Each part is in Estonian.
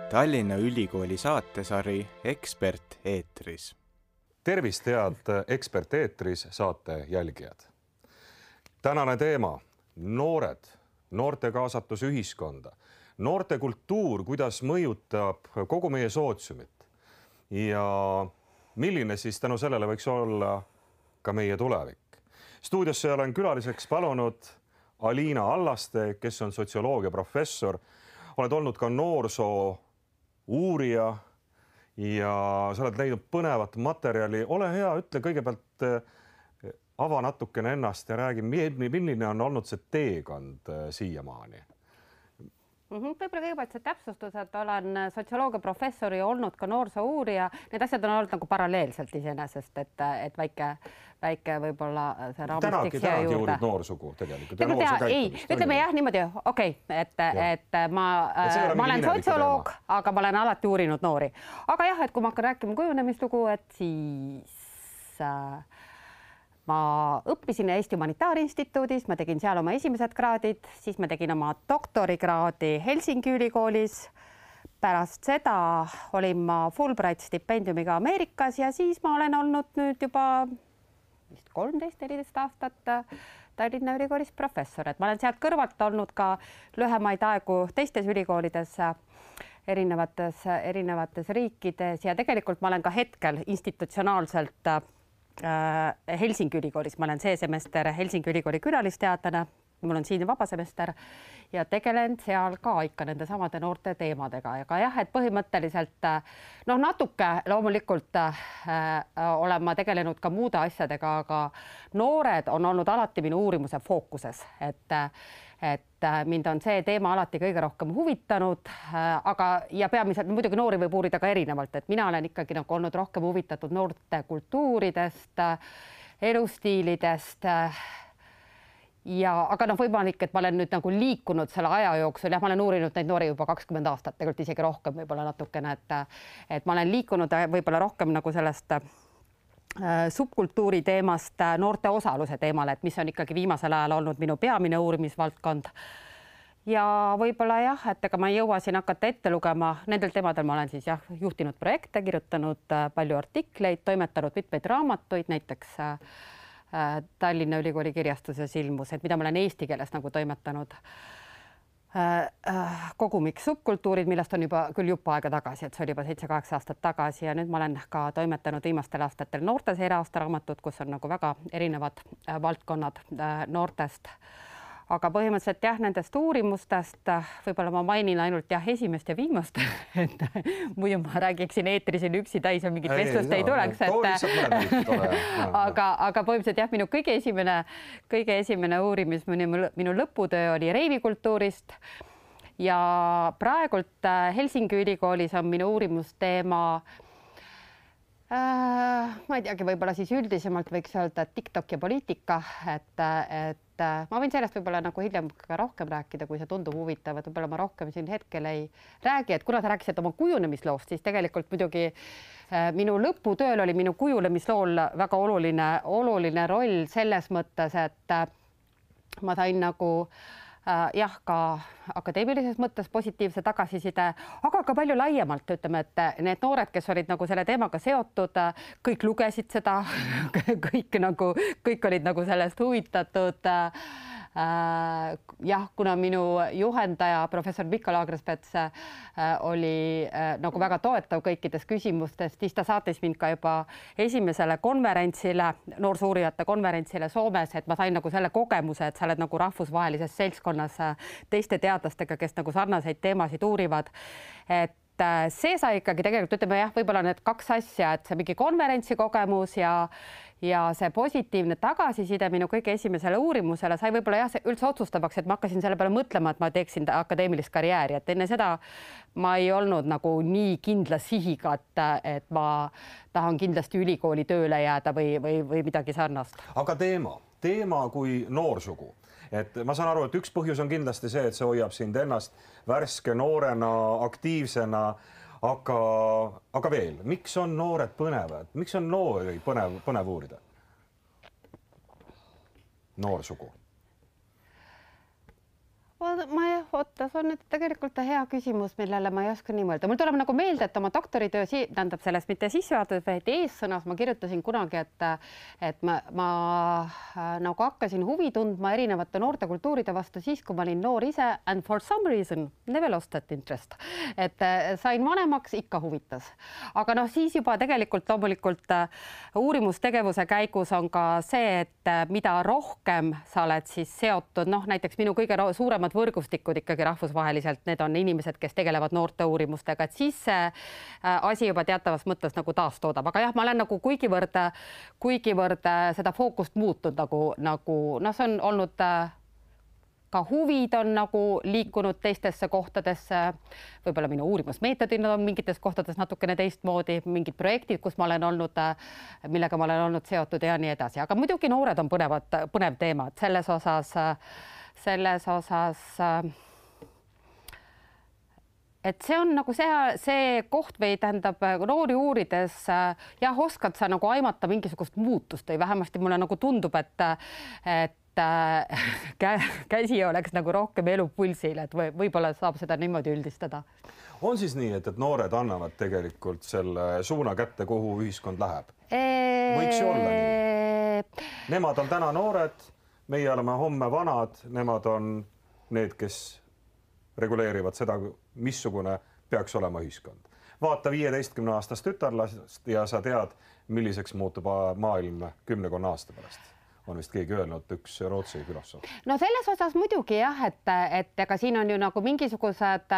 Tallinna Ülikooli saatesari Ekspert eetris. Tervist, head Ekspert eetris saate jälgijad. Tänane teema: noored, noorte kaasatus ühiskonda, noorte kultuur, kuidas mõjutab kogu meie sootsiumit ja milline siis tänu sellele võiks olla ka meie tulevik. Stuudiosse olen külaliseks palunud Aliina Allaste, kes on sotsioloogia professor. Oled olnud ka noorsoo uurija ja sa oled leidnud põnevat materjali. Ole hea, ütle kõigepealt, ava natukene ennast ja räägi, milline on olnud see teekond siiamaani. Võib-olla kõigepealt see täpsustus, et olen sotsioloogia professor ja olnud ka noorsoo uurija. Need asjad on olnud nagu paralleelselt iseenesest, et väike võib-olla see raamistik siia juurde. Tänagi uurid noorsugu tegelikult. Ütleme jah niimoodi, et ma olen sotsioloog, aga ma olen alati uurinud noori. Aga jah, et kui ma hakkan rääkima kujunemislugu, et siis ma õppisin Eesti Humanitaarinstituudis, ma tegin seal oma esimesed kraadid, siis ma tegin oma doktorikraadi Helsingi ülikoolis. Pärast seda olin ma Fulbright stipendiumiga Ameerikas ja siis ma olen olnud nüüd juba 13-14 aastat Tallinna ülikoolis professor. Et ma olen sealt kõrvalt olnud ka lühemaid aegu teistes ülikoolides erinevates riikides ja tegelikult ma olen ka hetkel institutsionaalselt Helsingi ülikoolis. Ma olen see semester Helsingi ülikooli külalisteadlane, mul on siin vaba semester ja tegelen seal ka ikka nende samade noorte teemadega. Aga jah, et põhimõtteliselt natuke loomulikult olen ma tegelenud ka muude asjadega, aga noored on olnud alati minu uurimuse fookuses, et mind on see teema alati kõige rohkem huvitanud, aga ja peamiselt muidugi noori võib uurida ka erinevalt, et mina olen ikkagi nagu olnud rohkem huvitatud noorte kultuuridest, elustiilidest ja aga võimalik, et ma olen nüüd nagu liikunud selle aja jooksul ja ma olen uurinud neid noori juba 20 aastat, tegelikult isegi rohkem võib-olla natukene, et ma olen liikunud võib-olla rohkem nagu sellest subkultuuri teemast noorte osaluse teemale, et mis on ikkagi viimasel ajal olnud minu peamine uurimisvaldkond. Ja võib-olla jah, et ega ma ei jõua siin hakata ette lugema. Nendel teemadel ma olen siis juhtinud projekte, kirjutanud palju artikleid, toimetanud mitmeid raamatuid, näiteks Tallinna Ülikooli kirjastuses ilmus, et mida ma olen eesti keeles nagu toimetanud. Kogumiks subkultuurid, millest on küll juba aega tagasi, et see oli juba 7-8 aastat tagasi ja nüüd ma olen ka toimetanud viimastel aastatel noorteseire aastaraamatut, kus on nagu väga erinevad valdkonnad noortest. Aga põhimõtteliselt jah, nendest uurimustest võib-olla ma mainin ainult esimest ja viimast, et muidu ma räägiksin eetrisin üksi täis ja mingit vestlust ei tuleks. Aga põhimõtteliselt jah, minu kõige esimene uurimis, minu lõputöö oli reivikultuurist ja praegult Helsingi ülikoolis on minu uurimusteema ma ei teagi, võib-olla siis üldisemalt võiks öelda TikTok ja poliitika, et ma võin sellest võib-olla nagu hiljem ka rohkem rääkida, kui see tundub huvitav, et võib-olla ma rohkem siin hetkel ei räägi, et kuna sa rääkisid oma kujunemisloost, siis tegelikult muidugi minu lõputööl oli minu kujunemislool väga oluline roll selles mõttes, et ma sain nagu ka akadeemilises mõttes positiivse tagasiside, aga ka palju laiemalt ütleme, et need noored, kes olid nagu selle teemaga seotud, kõik lugesid seda, kõik olid nagu sellest huvitatud. Kuna minu juhendaja professor Mikko Laagrispets oli nagu väga toetav kõikides küsimustes, siis ta saatis mind ka juba esimesele konverentsile, noorsoorijate konverentsile Soomes, et ma sain nagu selle kogemuse, et sa oled nagu rahvusvahelises seltskonnas teiste teadlastega, kes nagu sarnaseid teemasid uurivad. Et see sai ikkagi tegelikult, ütleme võib-olla need kaks asja, et see mingi konverentsi kogemus ja see positiivne tagasiside minu kõige esimesele uurimusele sai võib-olla üldse otsustavaks, et ma hakkasin selle peale mõtlema, et ma teeksin akadeemilist karjääri, et enne seda ma ei olnud nagu nii kindla sihiga, et ma tahan kindlasti ülikooli tööle jääda või midagi sarnast. Aga teema kui noorsugu. Et ma saan aru, et üks põhjus on kindlasti see, et see hoiab sind ennast värske noorena, aktiivsena, aga veel, miks on noored põnevad? Miks on noori põnev uurida? Noorsugu. Oota, see on nüüd tegelikult hea küsimus, millele ma ei oska nii mõelda. Mul tuleb nagu meelde, et oma doktoritöö tähendab sellest mitte sissejuhatuse, vaid eessõnas ma kirjutasin kunagi, et ma nagu hakkasin huvi tundma erinevate noorte kultuuride vastu siis, kui ma olin noor ise and for some reason never lost that interest. Et sain vanemaks, ikka huvitas. Aga noh, siis juba tegelikult loomulikult uurimustegevuse käigus on ka see, et mida rohkem sa oled siis seotud, noh näiteks minu kõige suuremad võrgustikud ikkagi rahvusvaheliselt, need on inimesed, kes tegelevad noorte uurimustega, et siis see asi juba teatavas mõttes nagu taastoodab. Aga jah, ma olen nagu kuigivõrd seda fookust muutnud nagu see on olnud ka huvid on nagu liikunud teistesse kohtadesse, võib-olla minu uurimusmeetodid on mingites kohtades natukene teistmoodi, mingid projektid, kus ma olen olnud, millega ma olen olnud seotud ja nii edasi. Aga muidugi noored on põnev teema, et selles osas, et see on nagu see koht või tähendab noori uurides, jah, oskad sa nagu aimata mingisugust muutust või vähemasti mulle nagu tundub, et käsi oleks nagu rohkem elupulsil, et võib-olla saab seda niimoodi üldistada. On siis nii, et noored annavad tegelikult selle suuna kätte, kuhu ühiskond läheb? Võiks ju olla nii. Nemad on täna noored, meie oleme homme vanad, nemad on need, kes reguleerivad seda, missugune peaks olema ühiskond. Vaata 15-aastast tütarlast ja sa tead, milliseks muutub maailm 10 aasta pärast. On vist keegi öelnud, üks Rootsi filosoof. No selles osas muidugi jah, et ega siin on ju nagu mingisugused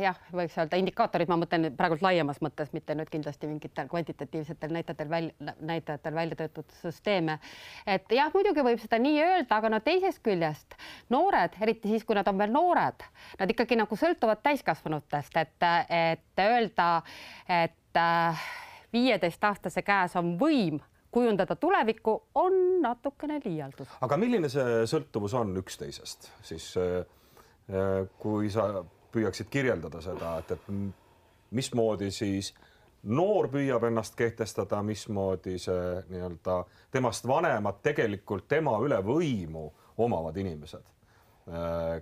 jah, võiks öelda indikaatorid, ma mõtlen praegult laiemas mõttes, mitte nüüd kindlasti mingitel kvantitatiivsetel näitajatel välja töötud süsteeme. Et jah, muidugi võib seda nii öelda, aga no teisest küljest noored, eriti siis, kui nad on veel noored, nad ikkagi nagu sõltuvad täiskasvanutest, et öelda, et 15-aastase käes on võim kujundada tulevikku on natukene liialdus. Aga milline see sõltuvus on üksteisest? Siis kui sa püüaksid kirjeldada seda, et mismoodi siis noor püüab ennast kehtestada, mismoodi see nii-öelda temast vanemad tegelikult tema üle võimu omavad inimesed.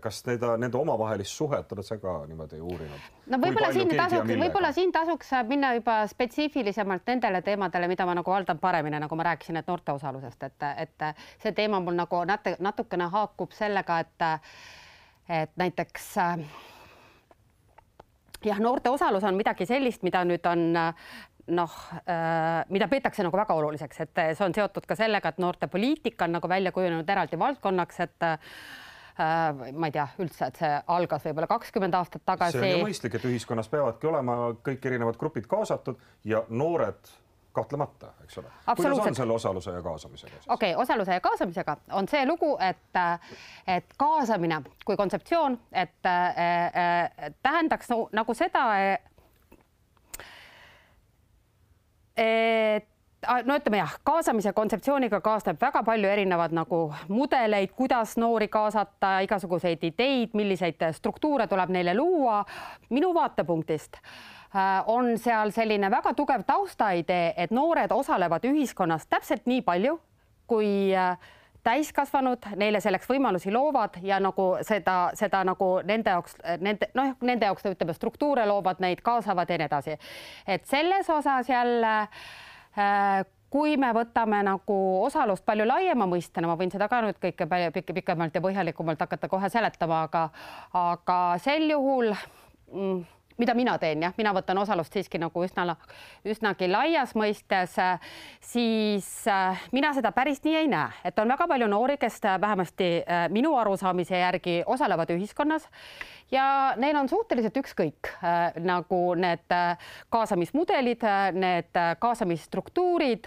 Kas nende omavahelist suhet oled sa ka niimoodi uurinud? No võib-olla siin tasuks minna juba spetsiifilisemalt nendele teemadele, mida ma nagu valdan paremini, nagu ma rääkisin, et noorte osalusest, et see teema mul nagu natukene haakub sellega, et näiteks jah, noorte osalus on midagi sellist, mida nüüd on mida peetakse nagu väga oluliseks, et see on seotud ka sellega, et noorte poliitika on nagu välja kujunenud eraldi valdkonnaks, et ma ei tea üldse, et see algas võib-olla 20 aastat tagasi. See on ju mõistlik, et ühiskonnas peavadki olema kõik erinevad grupid kaasatud ja noored kahtlemata, eks ole. Kuidas on selle osaluse ja kaasamisega? Okei, osaluse ja kaasamisega on see lugu, et kaasamine kui kontseptsioon, et tähendaks nagu seda, et no ütleme jah, kaasamise kontseptsiooniga kaasneb väga palju erinevad nagu mudeleid, kuidas noori kaasata, igasuguseid ideid, milliseid struktuure tuleb neile luua. Minu vaatepunktist on seal selline väga tugev taustaidee, et noored osalevad ühiskonnas täpselt nii palju, kui täiskasvanud neile selleks võimalusi loovad ja nagu seda nagu nende jaoks ütleme struktuure loovad, neid kaasavad ja nii edasi. Et selles osas jälle kui me võtame nagu osalust palju laiema mõistena, ma võin seda ka nüüd kõike pikemalt ja põhjalikumalt hakata kohe seletama, aga sel juhul, mida mina teen, jah, mina võtan osalust siiski nagu üsnagi laias mõistes, siis mina seda päris nii ei näe, et on väga palju noori, kes vähemasti minu arusaamise järgi osalevad ühiskonnas ja neil on suhteliselt ükskõik nagu need kaasamismudelid, need kaasamisstruktuurid,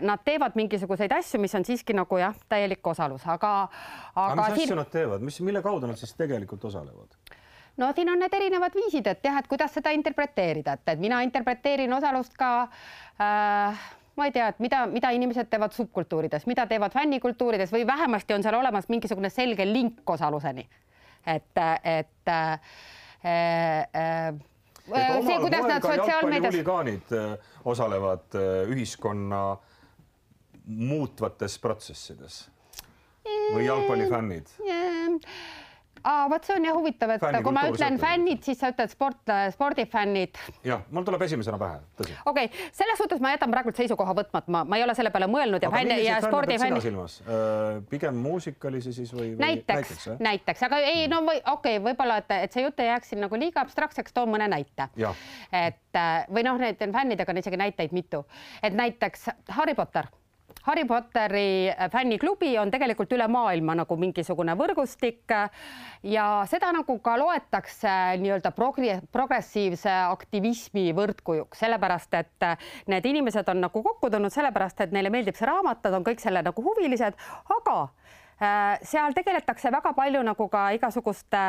nad teevad mingisuguseid asju, mis on siiski nagu jah, täielik osalus, aga mis asju nad teevad, mille kaudu nad siis tegelikult osalevad? No siin on need erinevad viisid, et jah, et kuidas seda interpreteerida, et mina interpreteerin osalust ka, ma ei tea, et mida inimesed teevad subkultuurides, mida teevad fännikultuurides või vähemasti on seal olemas mingisugune selge link osaluseni. See, kuidas nad sotsiaalmeedias... Jalgpallihuligaanid osalevad ühiskonna muutvates protsessides või jalgpallifännid? Vot see on jah huvitav, et kui ma ütlen fännid, siis sa ütled spordifännid. Jah, mul tuleb esimesena pähe, tõsi. Okei, selles suhtes ma jätan praegu seisukoha võtmat, ma ei ole selle peale mõelnud ja spordifännid. Pigem muusikalisi siis või näiteks, aga ei, no võib-olla, et see jutt ei jääks siin nagu liiga abstraktseks, toon mõne näite. Või noh, need fännidega on isegi näiteid mitu. Et näiteks Harry Potteri fänniklubi on tegelikult üle maailma nagu mingisugune võrgustik ja seda nagu ka loetakse nii-öelda progressiivse aktivismi võrdkujuks, sellepärast et need inimesed on nagu kokku tulnud sellepärast, et neile meeldib see raamat, nad on kõik selle nagu huvilised, aga seal tegeletakse väga palju nagu ka igasuguste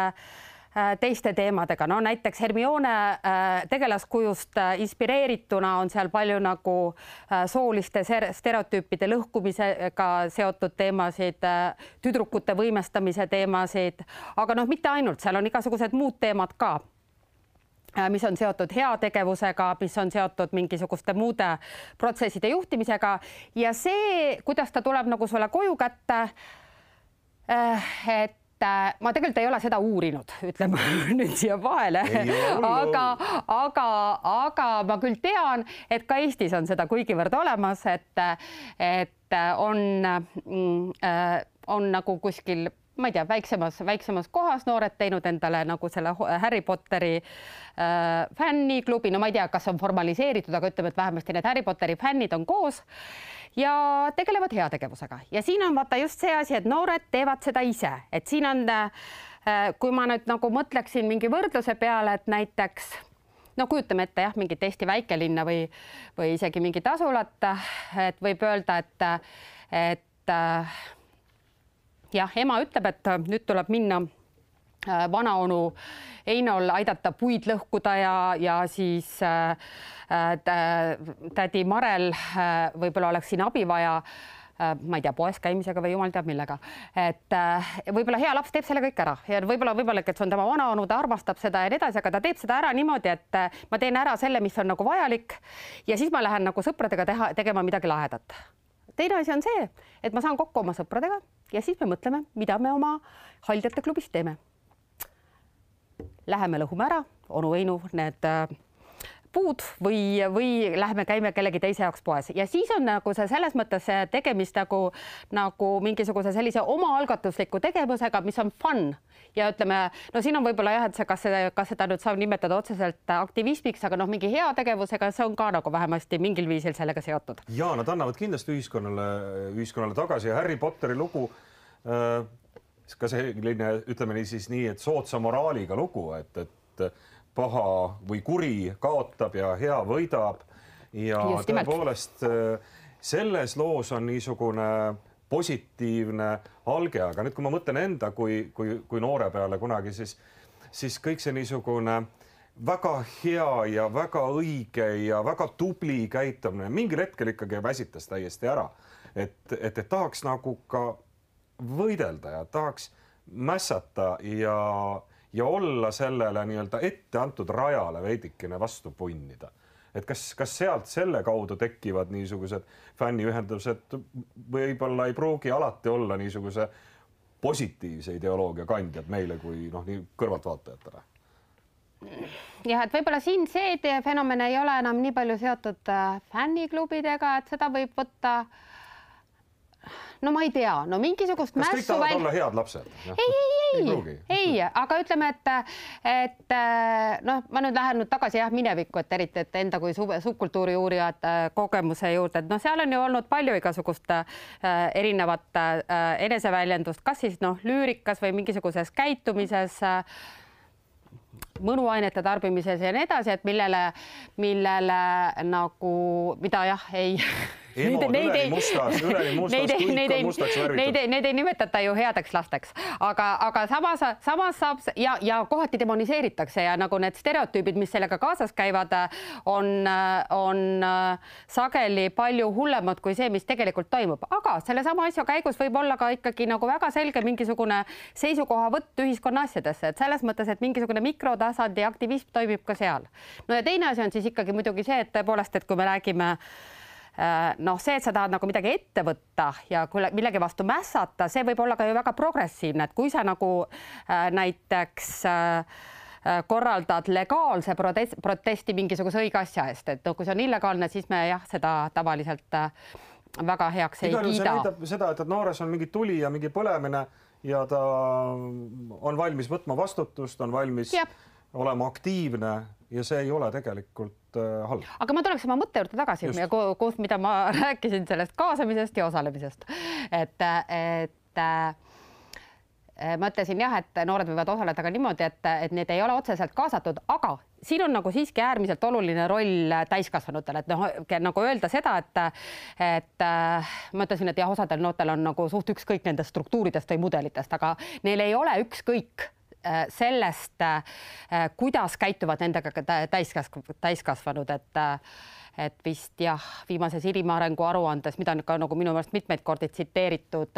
teiste teemadega, no näiteks Hermione tegelaskujust inspireerituna on seal palju nagu sooliste stereotüüpide lõhkumisega seotud teemasid, tüdrukute võimestamise teemasid, aga noh, mitte ainult, seal on igasugused muud teemad ka, mis on seotud heategevusega, mis on seotud mingisuguste muude protsesside juhtimisega ja see, kuidas ta tuleb nagu sulle koju kätte, et ma tegelikult ei ole seda uurinud, ütleme nüüd siia vahele, aga ma küll tean, et ka Eestis on seda kuigivõrd olemas, et on nagu kuskil, ma ei tea, väiksemas kohas noored teinud endale nagu selle Harry Potteri fänniklubi, no ma ei tea, kas on formaliseeritud, aga ütleme, et vähemasti need Harry Potteri fännid on koos ja tegelevad heategevusega. Ja siin on vaata just see asi, et noored teevad seda ise, et siin on, kui ma nüüd nagu mõtleksin mingi võrdluse peale, et näiteks, no kujutame ette jah, mingit Eesti väikelinna või isegi mingit asulat, et võib öelda, et jah, ema ütleb, et nüüd tuleb minna vanaonu Einol aidata puid lõhkuda ja siis tädi Marel võib-olla oleks siin abi vaja, ma ei tea, poes käimisega või jumal teab millega, et võib-olla hea laps teeb selle kõik ära ja võib-olla, et see on tema vanaonu, ta armastab seda ja nii edasi, aga ta teeb seda ära niimoodi, et ma teen ära selle, mis on nagu vajalik ja siis ma lähen nagu sõpradega tegema midagi lahedat. Teine asi on see, et ma saan kokku oma sõpradega ja siis me mõtleme, mida me oma haldjate klubis teeme. Läheme lõhume ära, onu Einu need puud või läheme käime kellegi teise jaoks poes ja siis on nagu see selles mõttes tegemist nagu mingisuguse sellise omaalgatusliku tegevusega, mis on fun ja ütleme, no siin on võib-olla jah, et kas seda nüüd saab nimetada otseselt aktivismiks, aga noh, mingi hea tegevusega, see on ka nagu vähemasti mingil viisil sellega seotud. Ja nad annavad kindlasti ühiskonnale tagasi ja Harry Potteri lugu ka selline, ütleme nii, et soodsa moraaliga lugu, et paha või kuri kaotab ja hea võidab ja tõepoolest selles loos on niisugune positiivne alge, aga nüüd, kui ma mõtlen enda kui noore peale kunagi, siis kõik see niisugune väga hea ja väga õige ja väga tubli käitumine mingil hetkel ikkagi väsitas täiesti ära, et tahaks nagu ka võidelda ja tahaks mässata ja olla sellele nii-öelda ette antud rajale veidikene vastu punnida. Et kas sealt selle kaudu tekivad niisugused fänniühendused võib-olla ei pruugi alati olla niisuguse positiivse ideoloogia kandjad meile kui nii kõrvaltvaatajatele? Jah, et võib-olla siin see fenomen ei ole enam nii palju seotud fänniklubidega, et seda võib võtta no ma ei tea, no mingisugust mässu... Kas kõik tahavad olla head lapsed? Ei, aga ütleme, et noh, ma nüüd lähen tagasi minevikku, et eriti et enda kui subkultuuri uurijad kogemuse juurde, et noh, seal on ju olnud palju igasugust erinevat eneseväljendust, kas siis lüürikas või mingisuguses käitumises, mõnuainete tarbimises ja nii edasi, et millele nagu, mida jah, ei... Neid ei nimetata ju headeks lasteks, aga samas saab ja kohati demoniseeritakse ja nagu need stereotüübid, mis sellega kaasas käivad, on sageli palju hullemad kui see, mis tegelikult toimub. Aga selle sama asja käigus võib olla ka ikkagi nagu väga selge mingisugune seisukohavõtt ühiskonna asjadesse, et selles mõttes, et mingisugune mikrotasandi aktivism toimib ka seal. No ja teine asi on siis ikkagi muidugi see, et tõepoolest, et kui me räägime noh, see, et sa tahad nagu midagi ette võtta ja millegi vastu mässata, see võib olla ka ju väga progressiivne, et kui sa nagu näiteks korraldad legaalse protesti mingisuguse õige asja eest, et kui see on illegaalne, siis me jah, seda tavaliselt väga heaks ei kiida. See näitab seda, et noores on mingi tuli ja mingi põlemine ja ta on valmis võtma vastutust, on valmis olema aktiivne ja see ei ole tegelikult halb. Aga ma tuleks oma mõtte juurde tagasi, koos, mida ma rääkisin sellest kaasamisest ja osalemisest. Ma ütlesin jah, et noored võivad osaleda ka niimoodi, et need ei ole otseselt kaasatud, aga siin on nagu siiski äärmiselt oluline roll täiskasvanutele, et nagu öelda seda, et ma ütlesin, et jah, osadel noortel on nagu suht ükskõik nendest struktuuridest või mudelitest, aga neil ei ole ükskõik sellest, kuidas käituvad nendega täiskasvanud, et vist jah, viimases inimarengu aruandes, mida on ka nagu minu meelest mitmeid kordi tsiteeritud,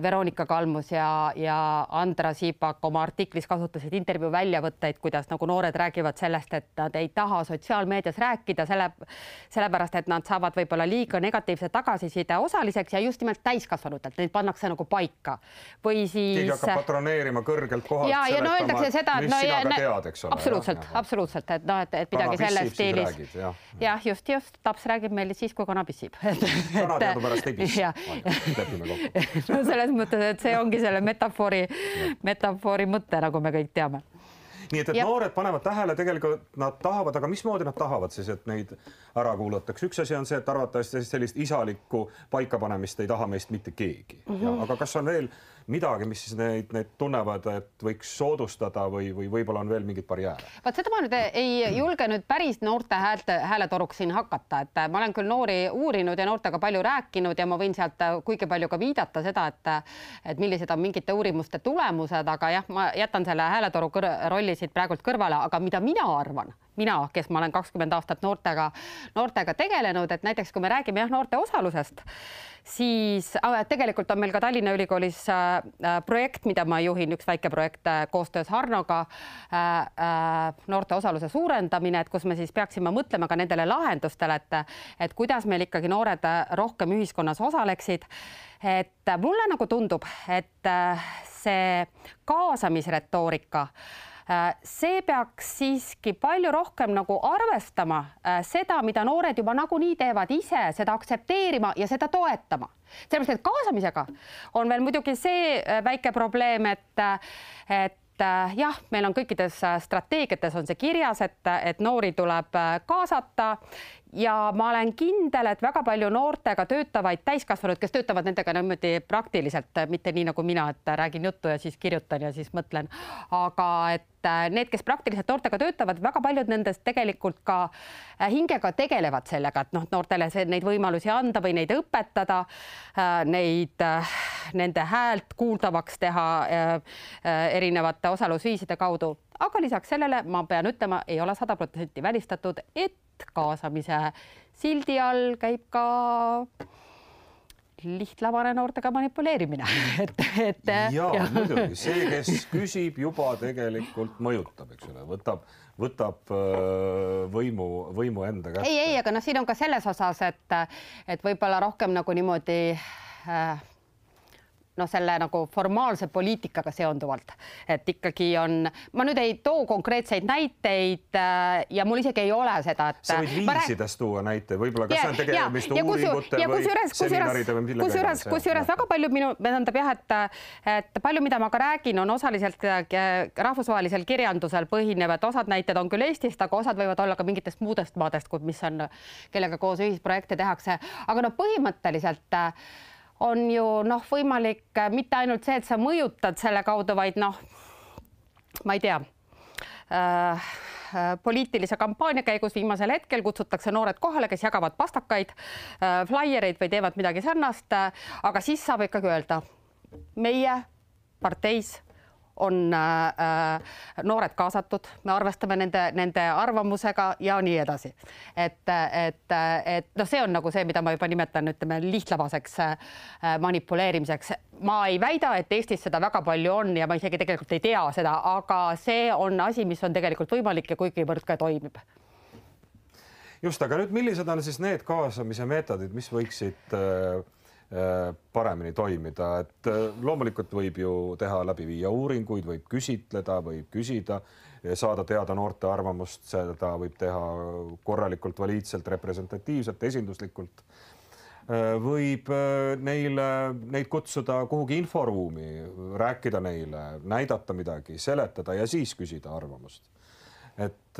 Veronika Kalmus ja Andra Siipak oma artiklis kasutasid intervjuu väljavõtteid, kuidas nagu noored räägivad sellest, et nad ei taha sotsiaalmeedias rääkida sellepärast, et nad saavad võib-olla liiga negatiivse tagasiside osaliseks ja just nimelt täiskasvanutelt, neid pannakse nagu paika. Või siis... Keegi hakkab patroneerima kõrgelt kohalt seletama, öeldakse seda, et mis sina ka tead, eks ole. Absoluutselt, et midagi selles stiilis. Jah, just, taps räägib meil siis, kui kana pissib. Kana teadupärast ei pissi. No selles mõttes, et see ongi selle metafoori mõte, nagu me kõik teame. Nii et noored panevad tähele, tegelikult nad tahavad, aga mismoodi nad tahavad siis, et neid ära kuulatakse? Üks asi on see, et arvatavasti sellist isalikku paikapanemist ei taha meist mitte keegi. Aga kas on veel midagi, mis siis neid tunnevad, et võiks soodustada või võib-olla on veel mingid barjääre? Vaat seda ma nüüd ei julge nüüd päris noorte hääletoruks siin hakata, et ma olen küll noori uurinud ja noortega palju rääkinud ja ma võin sealt kuigi palju ka viidata seda, et millised on mingite uurimuste tulemused, aga jah, ma jätan selle hääletoru rolli siit praegult kõrvale, aga mida mina arvan, kes ma olen 20 aastat noortega tegelenud, et näiteks kui me räägime noorte osalusest, siis tegelikult on meil ka Tallinna Ülikoolis projekt, mida ma juhin, üks väike projekt koostöös Harnoga, noorte osaluse suurendamine, et kus me siis peaksime mõtlema ka nendele lahendustele, et kuidas meil ikkagi noored rohkem ühiskonnas osaleksid. Et mulle nagu tundub, et see kaasamisretoorika, see peaks siiski palju rohkem nagu arvestama seda, mida noored juba nagunii teevad ise, seda aktsepteerima ja seda toetama. Sellepärast, et kaasamisega on veel muidugi see väike probleem, et jah, meil on kõikides strateegiates on see kirjas, et noori tuleb kaasata ja ma olen kindel, et väga palju noortega töötavaid täiskasvanud, kes töötavad nendega niimoodi praktiliselt, mitte nii nagu mina, et räägin juttu ja siis kirjutan ja siis mõtlen, aga et need, kes praktiliselt noortega töötavad, väga paljud nendest tegelikult ka hingega tegelevad sellega, et noortele neid võimalusi anda või neid õpetada, nende häält kuuldavaks teha erinevate osalusviiside kaudu. Aga lisaks sellele ma pean ütlema, ei ole 100% välistatud, et kaasamise sildi all käib ka lihtlavane noortega manipuleerimine. Ja muidugi, see, kes küsib, juba tegelikult mõjutab, eks ole, võtab võimu enda kätte. Ei, aga siin on ka selles osas, et võib-olla rohkem nagu niimoodi selle nagu formaalse poliitikaga seonduvalt, et ikkagi on, ma nüüd ei too konkreetseid näiteid ja mul isegi ei ole seda, et sa võid viisidest tuua näite, võib-olla kas see on tegemist uuringute või seminaride või millega iganes. Kusjuures väga palju et palju, mida ma ka räägin, on osaliselt rahvusvahelisel kirjandusel põhinevad, osad näited on küll Eestist, aga osad võivad olla ka mingitest muudest maadest, mis on, kellega koos ühisprojekte tehakse, aga põhimõtteliselt on ju võimalik mitte ainult see, et sa mõjutad selle kaudu, vaid ma ei tea, poliitilise kampaania käigus viimasel hetkel kutsutakse noored kohale, kes jagavad pastakaid, flaiereid või teevad midagi sarnast, aga siis saab ikkagi öelda, meie parteis on noored kaasatud, me arvestame nende arvamusega ja nii edasi. See on nagu see, mida ma juba nimetan, ütleme, lihtlavaseks manipuleerimiseks. Ma ei väida, et Eestis seda väga palju on ja ma isegi tegelikult ei tea seda, aga see on asi, mis on tegelikult võimalik ja kuigivõrd ka toimib. Just, aga nüüd millised on siis need kaasamise meetodid, mis võiksid paremini toimida, et loomulikult võib ju läbi viia uuringuid, võib küsitleda, võib küsida, saada teada noorte arvamust, seda võib teha korralikult, valiidselt, representatiivselt, esinduslikult. Võib neid kutsuda kuhugi inforuumi, rääkida neile, näidata midagi, seletada ja siis küsida arvamust. Et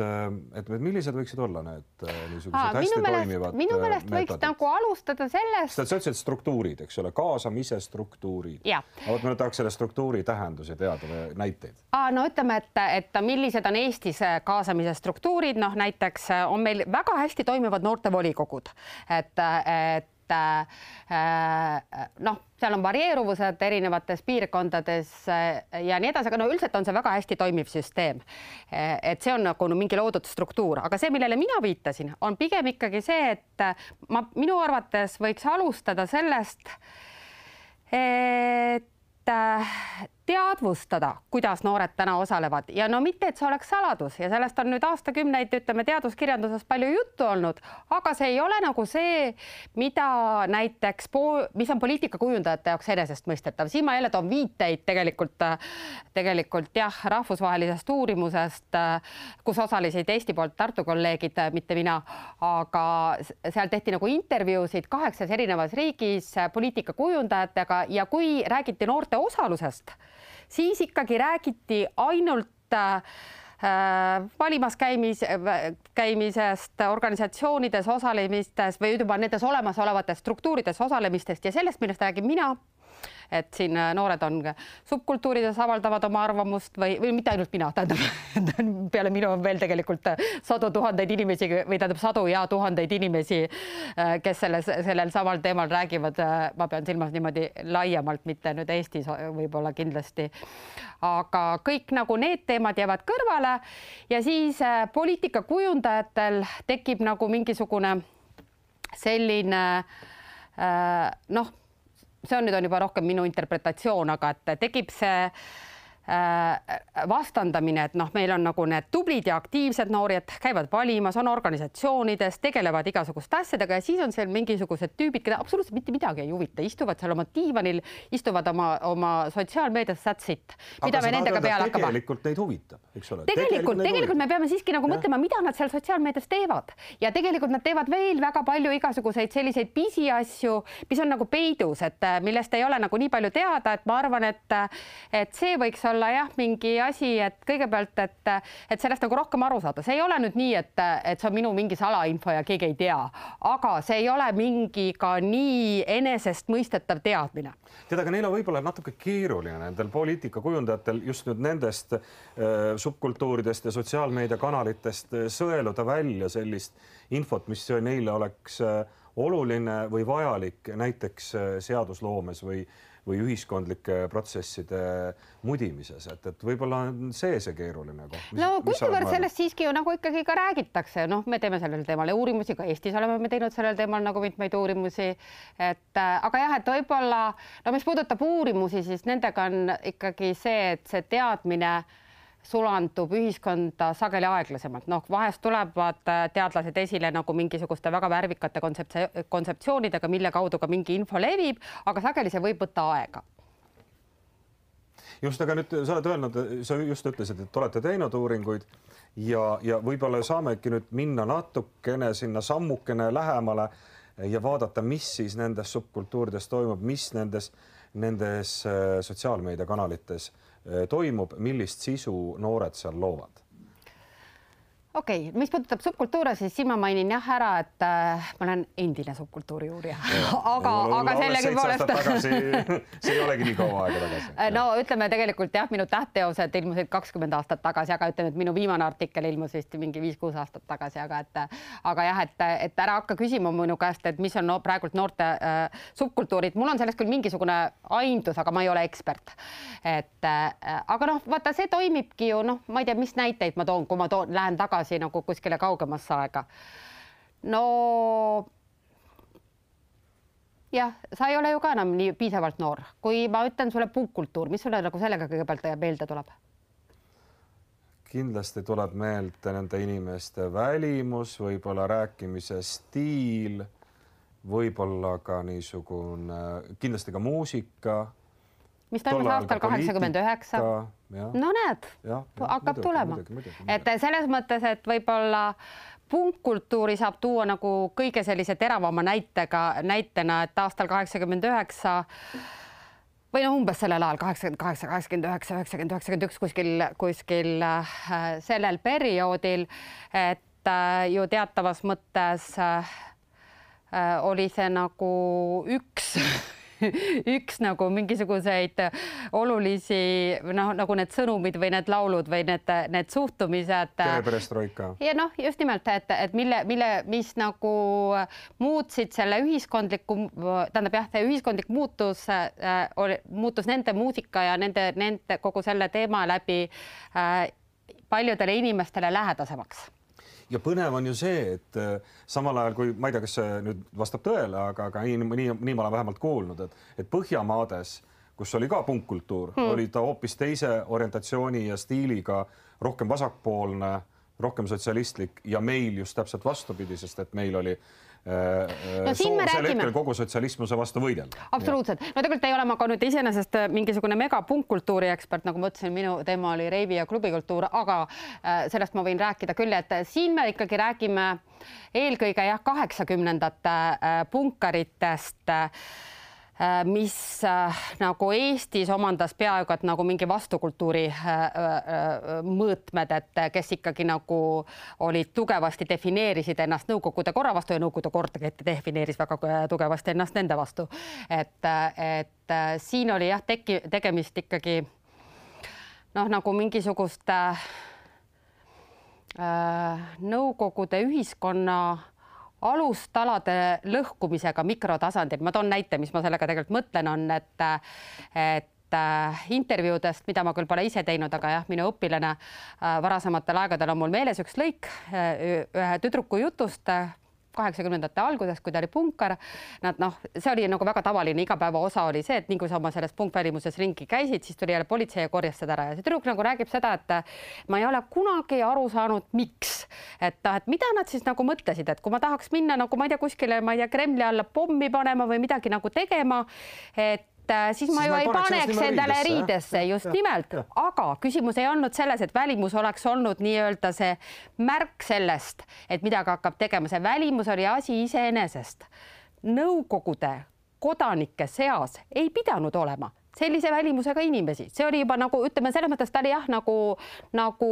millised võiksid olla need niisugused hästi toimivad minu meelest võiks nagu alustada sellest. Sa ütlesid struktuurid, eks ole, kaasamise struktuurid. Ma tahaks selle struktuuri tähendusi teada või näiteid. No ütleme, et millised on Eestis kaasamise struktuurid, näiteks on meil väga hästi toimivad noortevolikogud, seal on varieeruvused erinevates piirkondades ja nii edasi, aga üldiselt on see väga hästi toimiv süsteem. Et see on nagu mingi loodud struktuur, aga see, millele mina viitasin, on pigem ikkagi see, et minu arvates võiks alustada sellest, et teadvustada, kuidas noored täna osalevad ja mitte, et see oleks saladus ja sellest on nüüd aastakümneid, ütleme, teaduskirjanduses palju juttu olnud, aga see ei ole nagu see, mida näiteks, mis on poliitikakujundajate jaoks enesestmõistetav. Siin ma jälle toon viiteid tegelikult jah, rahvusvahelisest uurimusest, kus osalesid Eesti poolt Tartu kolleegid, mitte mina, aga seal tehti nagu intervjuusid 8 erinevas riigis poliitikakujundajatega ja kui räägiti noorte osalusest, siis ikkagi räägiti ainult valimas käimisest, organisatsioonides osalemistest või juba nendes olemasolevates struktuurides osalemistest ja sellest, millest räägin mina, et siin noored on subkultuurides avaldavad oma arvamust või mitte ainult mina, tähendab, peale minu on veel tegelikult sadu ja tuhandeid inimesi, kes sellel samal teemal räägivad. Ma pean silmas niimoodi laiemalt, mitte nüüd Eestis võib-olla kindlasti. Aga kõik nagu need teemad jäävad kõrvale ja siis poliitikakujundajatel tekib nagu mingisugune selline see on juba rohkem minu interpretatsioon, aga et tekib see vastandamine, et meil on nagu need tublid ja aktiivsed noored, käivad valimas, on organisatsioonides, tegelevad igasuguste asjadega ja siis on seal mingisugused tüübid, keda absoluutselt mitte midagi ei huvita, istuvad seal oma diivanil, istuvad oma sotsiaalmeedias satsit, mida me nendega peale hakkama. Tegelikult neid huvitab, eks ole? Tegelikult me peame siiski nagu mõtlema, mida nad seal sotsiaalmeedias teevad ja tegelikult nad teevad veel väga palju igasuguseid selliseid pisiasju, mis on nagu peidus, et millest ei ole nagu nii palju teada, et ma arvan, et see võiks olla jah, mingi asi, et kõigepealt, et sellest nagu rohkem aru saada. See ei ole nüüd nii, et see on minu mingi salainfo ja keegi ei tea, aga see ei ole mingi ka nii enesestmõistetav teadmine. Tead, aga neil on võib-olla natuke keeruline nendel poliitikakujundajatel just nüüd nendest subkultuuridest ja sotsiaalmeediakanalitest sõeluda välja sellist infot, mis neile oleks oluline või vajalik näiteks seadusloomes või ühiskondlike protsesside mudimises, et võib-olla on see keeruline koht. Kuivõrd sellest siiski ju nagu ikkagi ka räägitakse, me teeme sellel teemal uurimusi, ka Eestis oleme me teinud sellel teemal nagu mitmeid uurimusi, aga jah, et võib-olla, mis puudutab uurimusi, siis nendega on ikkagi see, et see teadmine sulandub ühiskonda sageli aeglasemalt. Vahest tulevad teadlased esile nagu mingisuguste väga värvikate kontseptsioonidega, mille kaudu ka mingi info levib, aga sageli see võib võtta aega. Just, aga nüüd sa oled öelnud, sa just ütlesid, et olete teinud uuringuid ja võib-olla saamegi nüüd minna natukene sinna sammukene lähemale ja vaadata, mis siis nendes subkultuurides toimub, mis nendes sotsiaalmeediakanalites toimub, millist sisu noored seal loovad. Okei, mis puudutab subkultuure, siis siin ma mainin jah ära, et ma olen endine subkultuuri uurija. Aga sellegi poolest... See ei olegi nii kaua aega tagasi. No ütleme tegelikult jah, minu tähtteosed ilmusid 20 aastat tagasi, aga ütleme, et minu viimane artikkel ilmus vist mingi 5-6 aastat tagasi, aga jah, et ära hakka küsima minu käest, et mis on praegult noorte subkultuurid. Mul on sellest küll mingisugune aindus, aga ma ei ole ekspert. Aga vaata, see toimibki ju, ma ei tea, mis näiteid ma toon, kui ma lähen tagasi nagu kuskile kaugemasse aega. Jah, sa ei ole ju ka enam nii piisavalt noor. Kui ma ütlen sulle puukkultuur, mis sulle nagu sellega kõigepealt meelde tuleb? kindlasti tuleb meelde nende inimeste välimus, võib-olla rääkimise stiil, võib-olla ka niisugune, kindlasti ka muusika. Mis toimus aastal 89? No näed, hakkab tulema. Et selles mõttes, et võib-olla punkkultuuri saab tuua nagu kõige sellise teravama näitena, et aastal 89 või umbes sellel ajal 88, 89, 90, 91 kuskil sellel perioodil, et ju teatavas mõttes oli see nagu üks nagu mingisuguseid olulisi nagu need sõnumid või need laulud või need suhtumised. Perestroika. Ja just nimelt, et mis nagu muutsid selle see ühiskondlik muutus nende muusika ja nende kogu selle teema läbi paljudele inimestele lähedasemaks. Ja põnev on ju see, et samal ajal, kui ma ei tea, kas see nüüd vastab tõele, aga nii ma olen vähemalt kuulnud, et Põhjamaades, kus oli ka punkkultuur, oli ta hoopis teise orientatsiooni ja stiiliga, rohkem vasakpoolne, rohkem sotsialistlik ja meil just täpselt vastupidi, sest et meil oli sel hetkel kogu sotsialismuse vastu võidelda. Absoluutselt. No tegelikult ei ole ma ka nüüd iseenesest mingisugune mega punkkultuuri ekspert, nagu ma ütlesin, minu teema oli reivi ja klubikultuur, aga sellest ma võin rääkida küll, et siin me ikkagi räägime eelkõige 80ndate punkaritest, mis nagu Eestis omandas peaaegu et nagu mingi vastukultuuri mõõtmed, et kes ikkagi nagu olid tugevasti defineerisid ennast Nõukogude korra vastu ja Nõukogude kord defineeris väga tugevasti ennast nende vastu. Et siin oli tegemist ikkagi nagu mingisugust Nõukogude ühiskonna alustalade lõhkumisega mikrotasandil. Ma toon näite, mis ma sellega tegelikult mõtlen, on, et intervjuudest, mida ma küll pole ise teinud, aga minu õpilane varasematel aegadel on mul meeles üks lõik ühe tüdruku jutust 80ndate alguses, kui ta oli punkar. See oli nagu väga tavaline igapäeva osa oli see, et nii kui sa oma selles punkvälimuses ringi käisid, siis tuli jälle politsei ja korjas seda ära. Ja see tüdruk nagu räägib seda, et ma ei ole kunagi aru saanud, miks. Et mida nad siis nagu mõtlesid, et kui ma tahaks minna nagu, ma ei tea, kuskile, ma ei tea, Kremli alla pommi panema või midagi nagu tegema, et siis ma ju ei paneks endale riidesse, just nimelt. Aga küsimus ei olnud selles, et välimus oleks olnud nii-öelda see märk sellest, et midagi hakkab tegema. See välimus oli asi iseenesest. Nõukogude kodanike seas ei pidanud olema sellise välimusega inimesi. See oli juba nagu, ütleme, selles mõttes ta oli nagu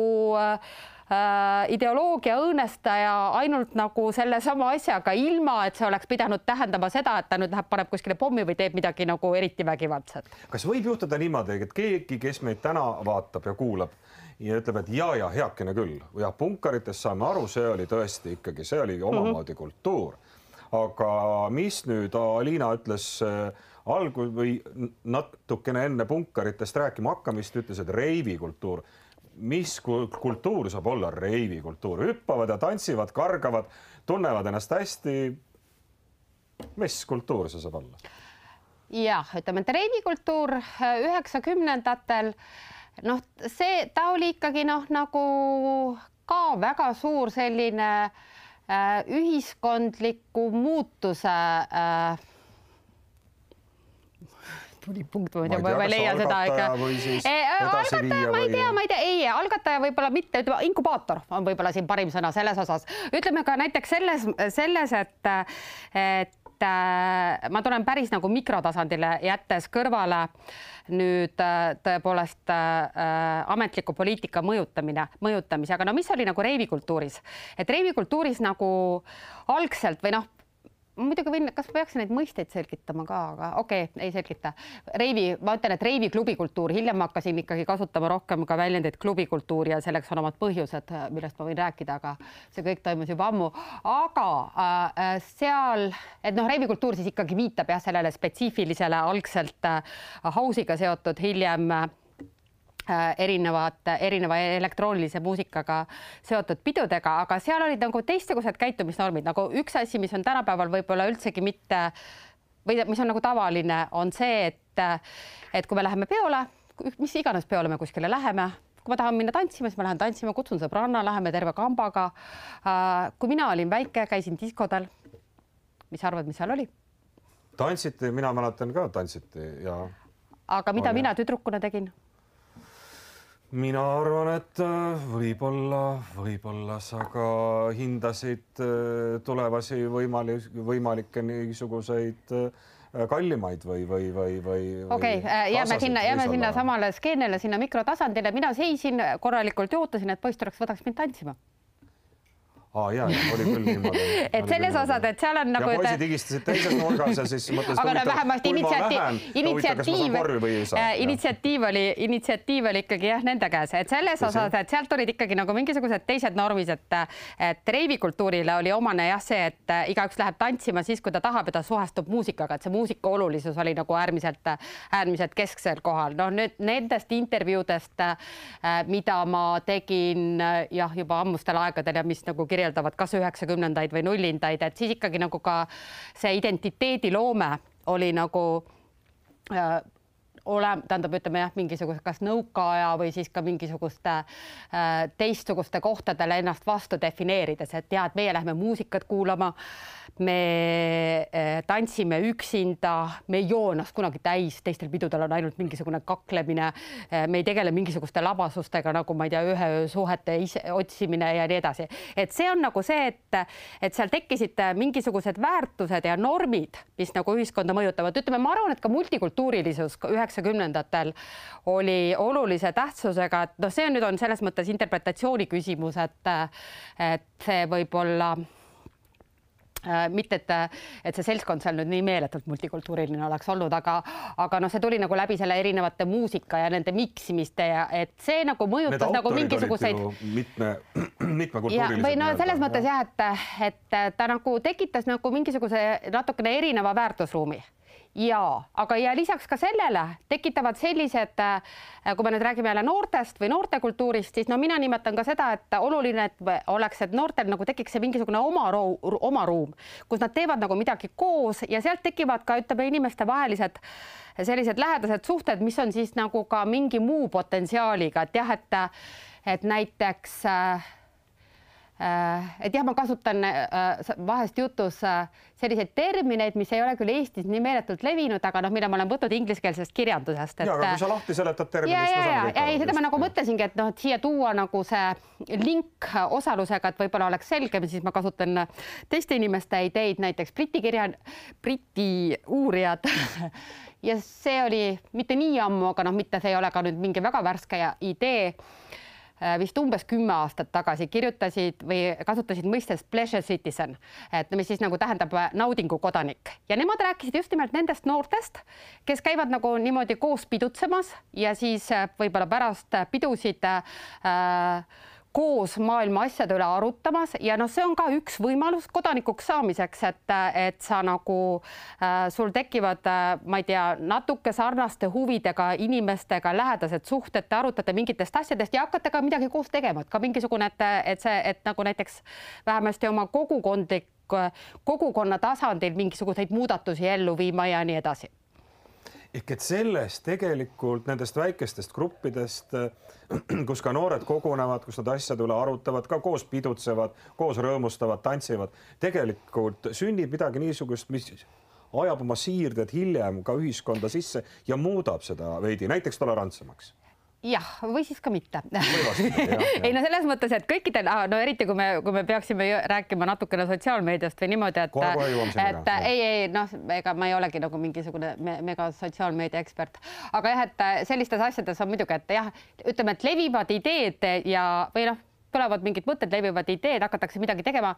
ideoloogia õõnestaja ainult nagu selle sama asjaga, ilma et see oleks pidanud tähendama seda, et ta nüüd läheb, paneb kuskile pommi või teeb midagi nagu eriti vägivaldset. Kas võib juhtuda niimoodi, et keegi, kes meid täna vaatab ja kuulab ja ütleb, et ja punkarites saame aru, see oli tõesti ikkagi, see oli omamoodi kultuur. Aga mis nüüd Aliina ütles või natukene enne punkaritest rääkima hakkamist, ütles, et reivikultuur. Mis kultuur saab olla reivikultuur? Hüppavad ja tantsivad, kargavad, tunnevad ennast hästi. Mis kultuur see saab olla? Jah, ütleme, et reivikultuur 90ndatel, ta oli ikkagi nagu ka väga suur selline ühiskondliku muutuse tuli punkt, ma ei leia seda ikka. Algataja, ma ei tea, algataja võib-olla mitte, ütleme, inkubaator on võib-olla siin parim sõna selles osas. Ütleme ka näiteks selles, et ma tulen päris nagu mikrotasandile jättes kõrvale nüüd tõepoolest ametliku poliitika mõjutamise, aga mis oli nagu reivikultuuris? Et reivikultuuris nagu algselt või muidugi võin, kas peaksin neid mõisteid selgitama ka, aga okei, ei selgita. Ma ütlen, et reivi klubikultuur, hiljem ma hakkasin ikkagi kasutama rohkem ka väljendeid klubikultuuri ja selleks on omad põhjused, millest ma võin rääkida, aga see kõik toimus juba ammu. Aga seal, et reivikultuur siis ikkagi viitab sellele spetsiifilisele algselt hausiga seotud hiljem erineva elektroonilise muusikaga seotud pidudega, aga seal olid nagu teistsugused käitumisnormid, nagu üks asi, mis on tänapäeval võib-olla üldsegi mitte või mis on nagu tavaline, on see, et kui me läheme peole, mis iganes peole me kuskile läheme, kui ma tahan minna tantsima, siis ma lähen tantsima, kutsun sõbranna, läheme terve kambaga. Kui mina olin väike, käisin diskodel. Mis arvad, mis seal oli? Tantsiti, mina mäletan ka tantsiti ja... Aga mida mina tüdrukuna tegin? Mina arvan, et võib-olla sa ka hindasid tulevasi võimalikke niisuguseid kallimaid või Okei, jääme sinna samale skeenele, sinna mikrotasandile. Mina seisin korralikult ja ootasin, et poiss võtaks mind tantsima. Jaa, oli küll niimoodi. Et selles osas, et seal on nagu... Ja poisid higistasid teises nurgas ja siis mõtlesid, aga vähemalt initsiatiiv oli ikkagi nende käes. Et selles osas, et sealt olid ikkagi nagu mingisugused teised normis, et reivikultuurile oli omane see, et igaüks läheb tantsima siis, kui ta tahab ja ta suhestub muusikaga, et see muusika olulisus oli nagu äärmiselt kesksel kohal. No nüüd nendest intervjuudest, mida ma tegin juba ammustel aegadel ja mis nagu kirjeldavad kas 90-ndaid või nullindaid, et siis ikkagi nagu ka see identiteediloome oli nagu tähendab, ütleme mingisugust kas nõukaaja või siis ka mingisuguste teistsuguste kohtadele ennast vastu defineerides, et et meie lähme muusikat kuulama, me tantsime üksinda, me ei joo ennast kunagi täis, teistel pidudel on ainult mingisugune kaklemine, me ei tegele mingisuguste labasustega, nagu ma ei tea, ühe suhete otsimine ja nii edasi. Et see on nagu see, et seal tekkisid mingisugused väärtused ja normid, mis nagu ühiskonda mõjutavad. Ütleme, ma arvan, et ka multikultuurilisus 90-ndatel oli olulise tähtsusega, et see nüüd on selles mõttes interpretatsiooni küsimus, et see võib olla mitte, et see seltskond seal nüüd nii meeletult multikultuuriline oleks olnud, aga see tuli nagu läbi selle erinevate muusika ja nende miksimiste ja et see nagu mõjutas nagu mingisuguseid mitmekultuurilised. Või no selles mõttes et ta nagu tekitas nagu mingisuguse natukene erineva väärtusruumi. Aga lisaks ka sellele tekitavad sellised, kui me nüüd räägime jälle noortest või noortekultuurist, siis mina nimetan ka seda, et oluline oleks, et noortel nagu tekiks see mingisugune oma ruum, kus nad teevad nagu midagi koos ja sealt tekivad ka, ütleme, inimeste vahelised sellised lähedased suhted, mis on siis nagu ka mingi muu potentsiaaliga, et näiteks ma kasutan vahest jutus selliseid termineid, mis ei ole küll Eestis nii meeletult levinud, aga mida ma olen võtnud ingliskeelsest kirjandusest. Ja, aga kui sa lahti seletad terminist, seda ma nagu mõtlesingi, et siia tuua nagu see link osalusega, et võib-olla oleks selgem, siis ma kasutan teiste inimeste ideid, näiteks Briti uurijad. Ja see oli mitte nii ammu, aga mitte see ei ole ka nüüd mingi väga värske idee. Vist umbes 10 aastat tagasi kirjutasid või kasutasid mõistest pleasure citizen, mis siis nagu tähendab naudingu kodanik. Ja nemad rääkisid just nimelt nendest noortest, kes käivad nagu niimoodi koos pidutsemas ja siis võib-olla pärast pidusid koos maailma asjade üle arutamas ja see on ka üks võimalus kodanikuks saamiseks, et sa nagu, sul tekivad, ma ei tea, natuke sarnaste huvidega inimestega lähedased suhted, te arutate mingitest asjadest ja hakkate ka midagi koos tegema, ka mingisugune, et nagu näiteks vähemasti oma kogukonna tasandil mingisuguseid muudatusi ellu viima ja nii edasi. Ehk et sellest tegelikult nendest väikestest gruppidest, kus ka noored kogunevad, kus nad asjad üle arutavad, ka koos pidutsevad, koos rõõmustavad, tantsivad, tegelikult sünnib midagi niisugust, mis ajab oma siirded hiljem ka ühiskonda sisse ja muudab seda veidi, näiteks tolerantsemaks. Jah, või siis ka mitte. Ei, no selles mõttes, et kõikidel, eriti kui me peaksime rääkima natukene sotsiaalmeediast või niimoodi, et ega ma ei olegi nagu mingisugune mega sotsiaalmeedia ekspert, aga jah, et sellistes asjades on muidugi, et jah, ütleme, et levivad ideed ja või tulevad mingid mõtted, levivad ideed, hakatakse midagi tegema,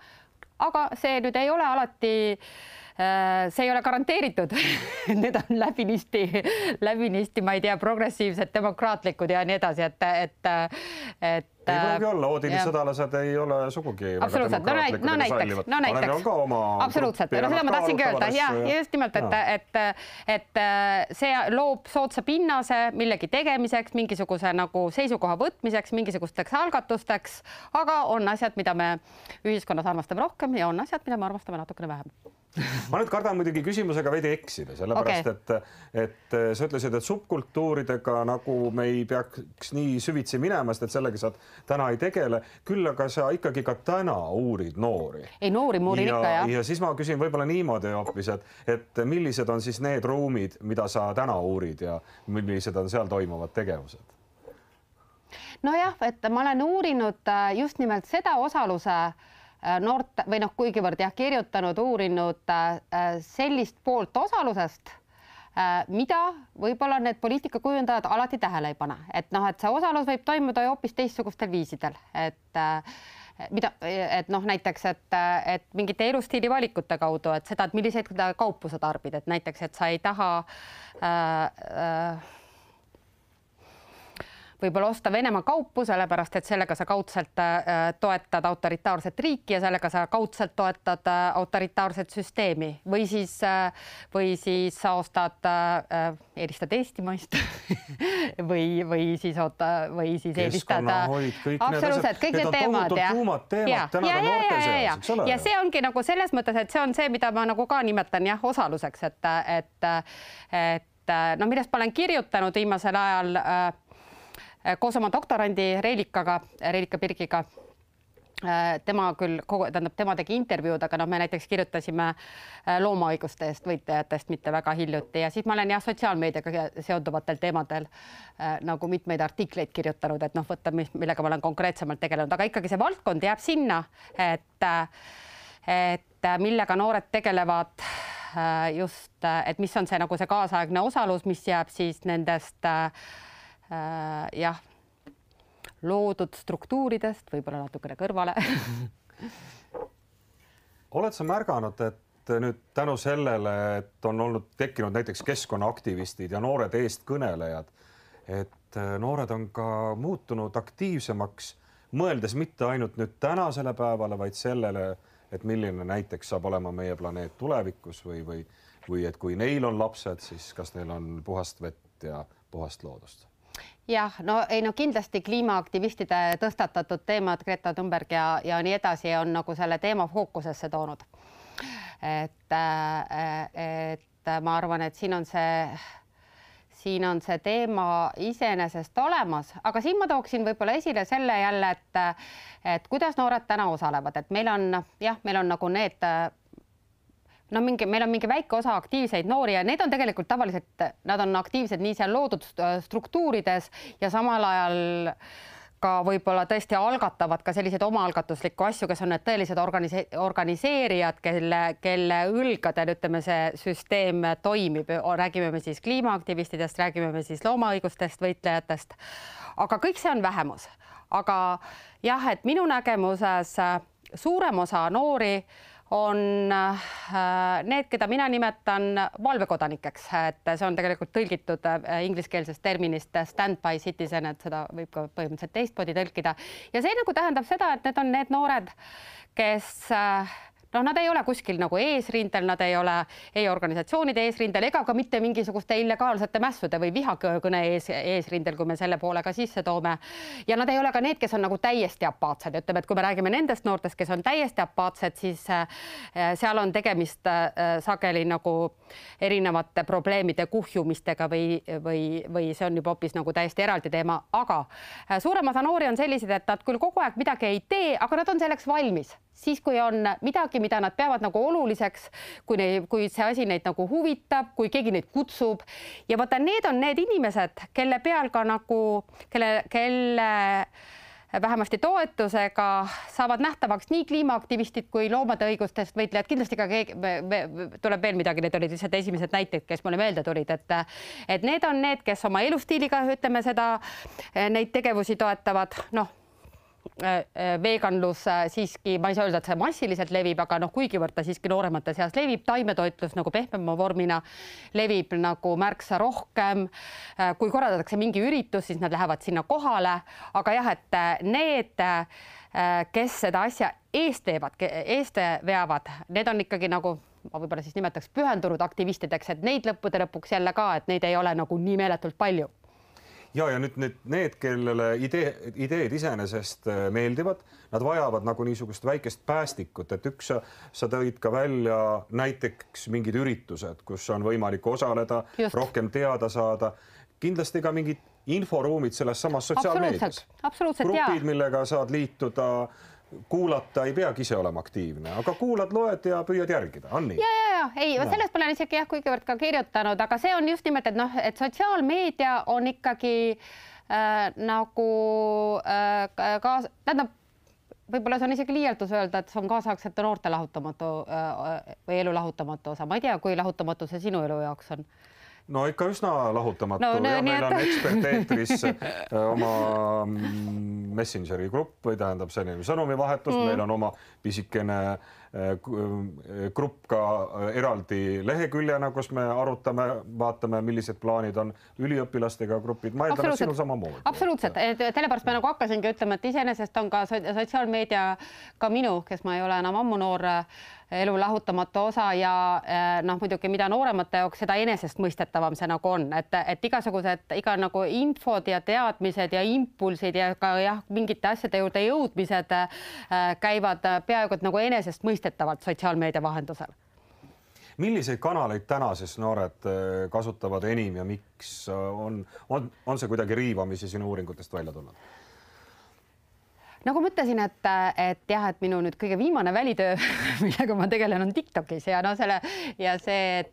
aga see nüüd ei ole alati see ei ole garanteeritud. Need on läbinisti, ma ei tea, progressiivsed, demokraatlikud ja nii edasi, et ei pruugi olla, oodilisõdalased ei ole sugugi väga demokraatlikud ja sallivad. Absoluutselt, seda ma tahtsingi öelda. Ja just nimelt, et see loob soodsa pinnase millegi tegemiseks, mingisuguse nagu seisukoha võtmiseks, mingisugusteks algatusteks, aga on asjad, mida me ühiskonnas armastame rohkem ja on asjad, mida me armastame natukene vähem. Ma nüüd kardan muidugi küsimusega veidi eksida, sellepärast et sa ütlesid, et subkultuuridega nagu me ei peaks nii süvitsi minema, sest et sellega sa täna ei tegele, küll aga sa ikkagi ka täna uurid noori. Ei, noori muurin ikka, jah. Ja siis ma küsin võib-olla niimoodi hoopis, et millised on siis need ruumid, mida sa täna uurid ja millised on seal toimuvad tegevused? Nojah, et ma olen uurinud just nimelt seda osaluse noort või kuigivõrd kirjutanud, uurinud sellist poolt osalusest, mida võib-olla need poliitikakujundajad alati tähele ei pane. Et see osalus võib toimuda hoopis teistsugustel viisidel. Näiteks, et mingite elustiili valikute kaudu, et seda, et milliseid kaupu sa tarbid, et näiteks, et sa ei taha võib-olla osta Venemaa kaupu, sellepärast, et sellega sa kaudselt toetad autoritaarset riiki ja sellega sa kaudselt toetad autoritaarset süsteemi või siis sa ostad, eelistad eestimaist või siis eelistad absoluutselt kõik need teemad. Ja see ongi nagu selles mõttes, et see on see, mida ma nagu ka nimetan osaluseks, et millest ma olen kirjutanud viimasel ajal koos oma doktorandi Reelika Pirgiga. Tema tegi intervjuud, aga me näiteks kirjutasime loomaõiguste eest võitlejatest mitte väga hiljuti ja siis ma olen sotsiaalmeediaga seonduvatel teemadel nagu mitmeid artikleid kirjutanud, et võtta, millega ma olen konkreetsemalt tegelenud, aga ikkagi see valdkond jääb sinna, et millega noored tegelevad just, et mis on see nagu see kaasaegne osalus, mis jääb siis nendest loodud struktuuridest võib-olla natukene kõrvale. Oled sa märganud, et nüüd tänu sellele, et on tekkinud näiteks keskkonnaaktivistid ja noored eestkõnelejad, et noored on ka muutunud aktiivsemaks, mõeldes mitte ainult nüüd tänasele päevale, vaid sellele, et milline näiteks saab olema meie planeet tulevikus või et kui neil on lapsed, siis kas neil on puhast vett ja puhast loodust? Jah, kindlasti kliimaaktivistide tõstatatud teemad, Greta Thunberg ja nii edasi on nagu selle teema fookusesse toonud. Et ma arvan, et siin on see teema iseenesest olemas, aga siin ma tooksin võib-olla esile selle jälle, et kuidas noored täna osalevad, et meil on nagu need meil on mingi väike osa aktiivseid noori ja need on tegelikult tavaliselt, nad on aktiivsed nii seal loodud struktuurides ja samal ajal ka võib-olla tõesti algatavad ka selliseid omaalgatuslikku asju, kes on need tõelised organiseerijad, kelle õlgadel, ütleme, see süsteem toimib. Räägime me siis kliimaaktivistidest, räägime me siis loomaõigustest, võitlejatest, aga kõik see on vähemus. Aga jah, et minu nägemuses suurem osa noori on need, keda mina nimetan valvekodanikeks, et see on tegelikult tõlgitud ingliskeelsest terminist standby citizen, et seda võib ka põhimõtteliselt teistmoodi tõlkida. Ja see nagu tähendab seda, et need on need noored, kes nad ei ole kuskil nagu eesrindel, nad ei ole ei organisatsioonide eesrindel ega ka mitte mingisuguste illegaalsete mässude või vihakõne eesrindel, kui me selle poole ka sisse toome. Ja nad ei ole ka need, kes on nagu täiesti apaatsed. Ütleme, et kui me räägime nendest noortest, kes on täiesti apaatsed, siis seal on tegemist sageli nagu erinevate probleemide kuhjumistega või see on juba hoopis nagu täiesti eraldi teema. Aga suurem osa noori on sellised, et nad küll kogu aeg midagi ei tee, aga nad on selleks valmis. Siis, kui on midagi, mida nad peavad nagu oluliseks, kui see asi neid nagu huvitab, kui keegi neid kutsub ja vaata, need on need inimesed, kelle peal ka nagu, kelle vähemasti toetusega saavad nähtavaks nii kliimaaktivistid kui loomade õigustest võitlejad. Kindlasti ka tuleb veel midagi, need olid lihtsalt esimesed näited, kes mulle meelde tulid, et need on need, kes oma elustiiliga, ütleme seda, neid tegevusi toetavad, veganlus siiski, ma ei saa öelda, et see massiliselt levib, aga kuigivõrd ta siiski nooremate seas levib, taimetoitlus nagu pehmema vormina levib nagu märksa rohkem. Kui korraldatakse mingi üritus, siis nad lähevad sinna kohale, aga jah, et need, kes seda asja eest veavad, need on ikkagi nagu, ma võib-olla siis nimetaks pühendunud aktivistideks, et neid lõppude lõpuks jälle ka, et neid ei ole nagu nii meeletult palju. ja nüüd need, kellele ideed iseenesest meeldivad, nad vajavad nagu niisugust väikest päästikut, et üks sa tõid ka välja näiteks mingid üritused, kus on võimalik osaleda, rohkem teada saada, kindlasti ka mingid inforuumid selles samas sotsiaalmeedias. Grupid, millega saad liituda, kuulata, ei peagi ise olema aktiivne, aga kuulad, loed ja püüad järgida, on nii? Ei, sellest ma olen isegi kuigivõrd ka kirjutanud, aga see on just nimelt, et sotsiaalmeedia on ikkagi nagu tähendab, võib-olla see on isegi liialdus öelda, et see on kaasaegsete noorte lahutamatu või elu lahutamatu osa. Ma ei tea, kui lahutamatu see sinu elu jaoks on. No ikka üsna lahutamatu ja meil on eksperteetris oma Messengeri grupp või tähendab selline sõnumivahetus, meil on oma pisikene grupp ka eraldi leheküljena, kus me arutame, vaatame, millised plaanid on üliõpilastega grupid. Ma eeldan, et sinu samamoodi. Absoluutselt. Sellepärast ma nagu hakkasingi ütlema, et iseenesest on ka sotsiaalmeedia ka minu, kes ma ei ole enam ammu noor, elu lahutamatu osa ja muidugi mida nooremate jaoks, seda enesestmõistetavam see nagu on, et igasugused iga nagu infod ja teadmised ja impulsid ja ka mingite asjade juurde jõudmised käivad peaaegu nagu enesestmõistetavalt sotsiaalmeedia vahendusel. Milliseid kanaleid tänases noored kasutavad enim ja miks on see kuidagi riivamisi sinu uuringutest välja tulnud? Nagu ma ütlesin, et minu nüüd kõige viimane välitöö, millega ma tegelen, on TikTokis ja see,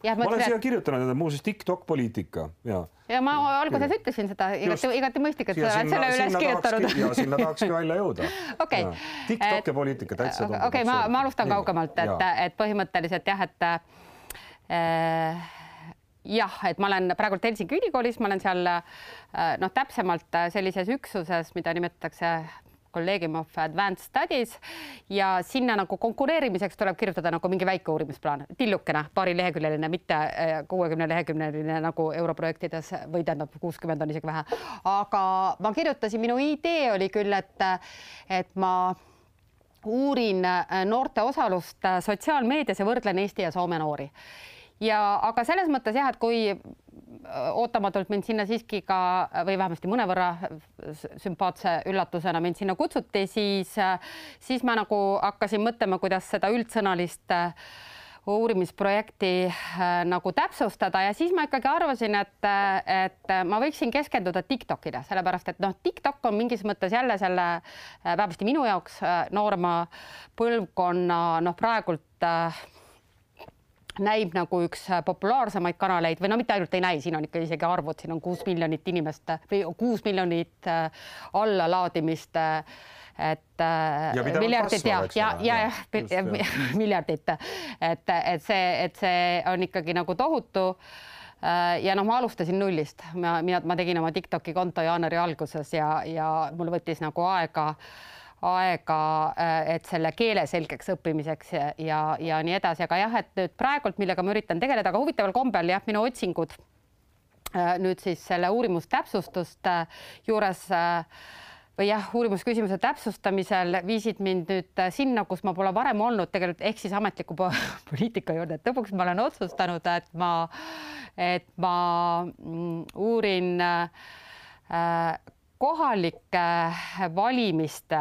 ma olen siia kirjutanud, et muuseas TikTok poliitika. Ja ma alguses ütlesin seda, igati mõistlik, et sa oled selle üles kirjutanud. Ja sinna tahakski välja jõuda. TikTok ja poliitika täitsa tundub. Okei, ma alustan kaugemalt, et põhimõtteliselt et ma olen praegult Helsingi ülikoolis, ma olen seal täpsemalt sellises üksuses, mida nimetatakse Collegium of Advanced Studies ja sinna nagu konkureerimiseks tuleb kirjutada nagu mingi väike uurimisplaan, tillukene, paari leheküljeline, mitte 60 leheküljeline nagu europrojektides või tähendab 60 on isegi vähe. Aga ma kirjutasin, minu idee oli küll, et ma uurin noorte osalust sotsiaalmeedias ja võrdlen Eesti ja Soome noori. Aga selles mõttes et kui ootamatult mind sinna siiski ka või vähemasti mõnevõrra sümpaatse üllatusena mind sinna kutsuti, siis ma nagu hakkasin mõtlema, kuidas seda üldsõnalist uurimisprojekti nagu täpsustada ja siis ma ikkagi arvasin, et ma võiksin keskenduda TikTokile, sellepärast, et TikTok on mingis mõttes jälle selle vähemasti minu jaoks noorema põlvkonna praegult näib nagu üks populaarsemaid kanaleid või mitte ainult ei näi, siin on ikka isegi arvud, siin on 6 miljonit inimest või 6 miljonit allalaadimist, et miljardit miljardit, et see on ikkagi nagu tohutu ja ma alustasin nullist, ma tegin oma TikToki konto jaanuari alguses ja mul võttis nagu aega, et selle keele selgeks õppimiseks ja nii edasi, aga et nüüd praegult, millega ma üritan tegeleda, aga huvitaval kombel minu otsingud nüüd siis selle uurimustäpsustust juures või uurimusküsimuse täpsustamisel viisid mind nüüd sinna, kus ma pole varem olnud tegelikult ehk siis ametliku poliitika juurde, et lõpuks ma olen otsustanud, et ma uurin kohalike valimiste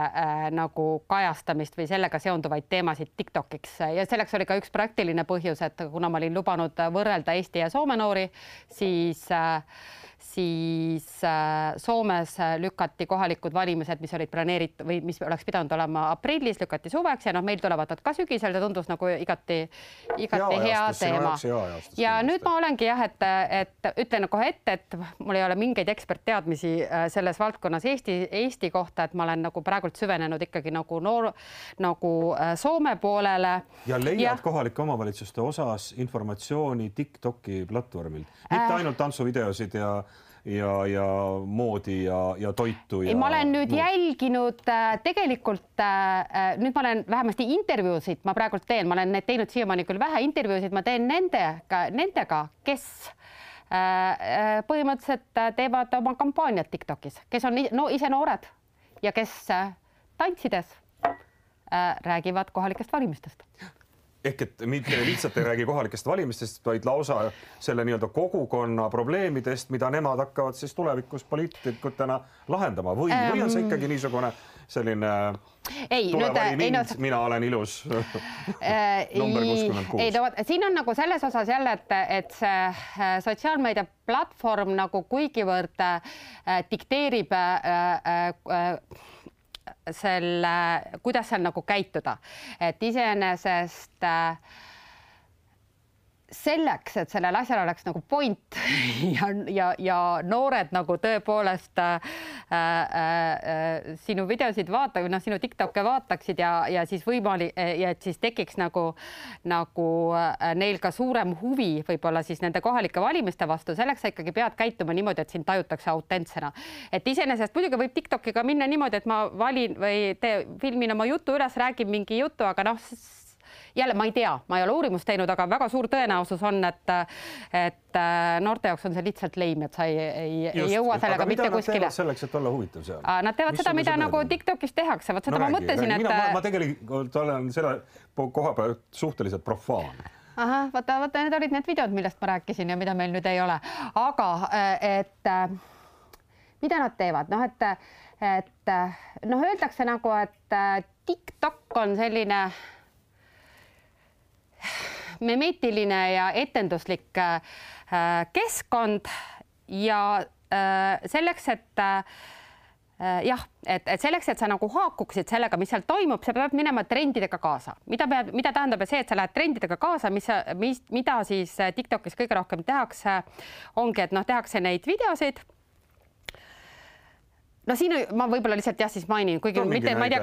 nagu kajastamist või sellega seonduvaid teemasid TikTokiks ja selleks oli ka üks praktiline põhjus, et kuna ma olin lubanud võrrelda Eesti ja Soome noori, siis Soomes lükati kohalikud valimised, mis olid planeeritud või mis oleks pidanud olema aprillis, lükati suveks ja meil tulevad nad ka sügisel, ta tundus nagu igati hea teema. Ja nüüd ma olengi et ütlen kohe ette, et mul ei ole mingeid ekspertteadmisi selles valdkonnas Eesti kohta, et ma olen nagu praegult süvenenud ikkagi nagu Soome poolele. Ja leiad kohalike omavalitsuste osas informatsiooni TikToki platvormilt, mitte ainult tantsuvideosid ja moodi ja toitu. Ma olen nüüd jälginud tegelikult, nüüd ma olen vähemasti intervjuusid, ma praegult teen, ma olen need teinud siiamaani küll vähe intervjuusid, ma teen nendega, kes põhimõtteliselt teevad oma kampaaniat TikTokis, kes on ise noored ja kes tantsides räägivad kohalikest valimistest. ehk et mitte lihtsalt ei räägi kohalikest valimistest, vaid lausa selle nii-öelda kogukonna probleemidest, mida nemad hakkavad siis tulevikus poliitikutena lahendama või on see ikkagi niisugune selline mina olen ilus number 66. Ei, no, siin on nagu selles osas jälle, et see sotsiaalmeedia platvorm nagu kuigivõrd dikteerib selle, kuidas seal nagu käituda, et iseenesest selleks, et sellel asjal oleks nagu point ja noored nagu tõepoolest sinu videosid vaatavad, noh, sinu TikTok'e vaataksid ja siis ja et siis tekiks nagu neil ka suurem huvi võib-olla siis nende kohalike valimiste vastu, selleks sa ikkagi pead käituma niimoodi, et sind tajutakse autentsena. Et iseenesest muidugi võib TikTokiga minna niimoodi, et ma valin või filmin oma jutu üles, räägin mingi jutu, aga noh, jälle ma ei tea, ma ei ole uurimust teinud, aga väga suur tõenäosus on, et noorte jaoks on see lihtsalt leim, et sa ei jõua sellega mitte kuskile. Selleks, et olla huvitav seal? Nad teevad seda, mida nagu TikTokis tehakse. Võt seda ma mõtlesin, et... Ma tegelikult olen selle koha peal suhteliselt profaan. Ahah, vaata, need olid need videod, millest ma rääkisin ja mida meil nüüd ei ole. Aga, et mida nad teevad? Noh, et öeldakse nagu, et TikTok on selline memeetiline ja etenduslik keskkond ja selleks, et selleks, et sa nagu haakuksid sellega, mis seal toimub, sa pead minema trendidega kaasa. Mida tähendab see, et sa lähed trendidega kaasa, mida siis TikTokis kõige rohkem tehakse, ongi, et tehakse neid videosid. No siin ma võib-olla lihtsalt siis mainin, kuigi mitte, ma ei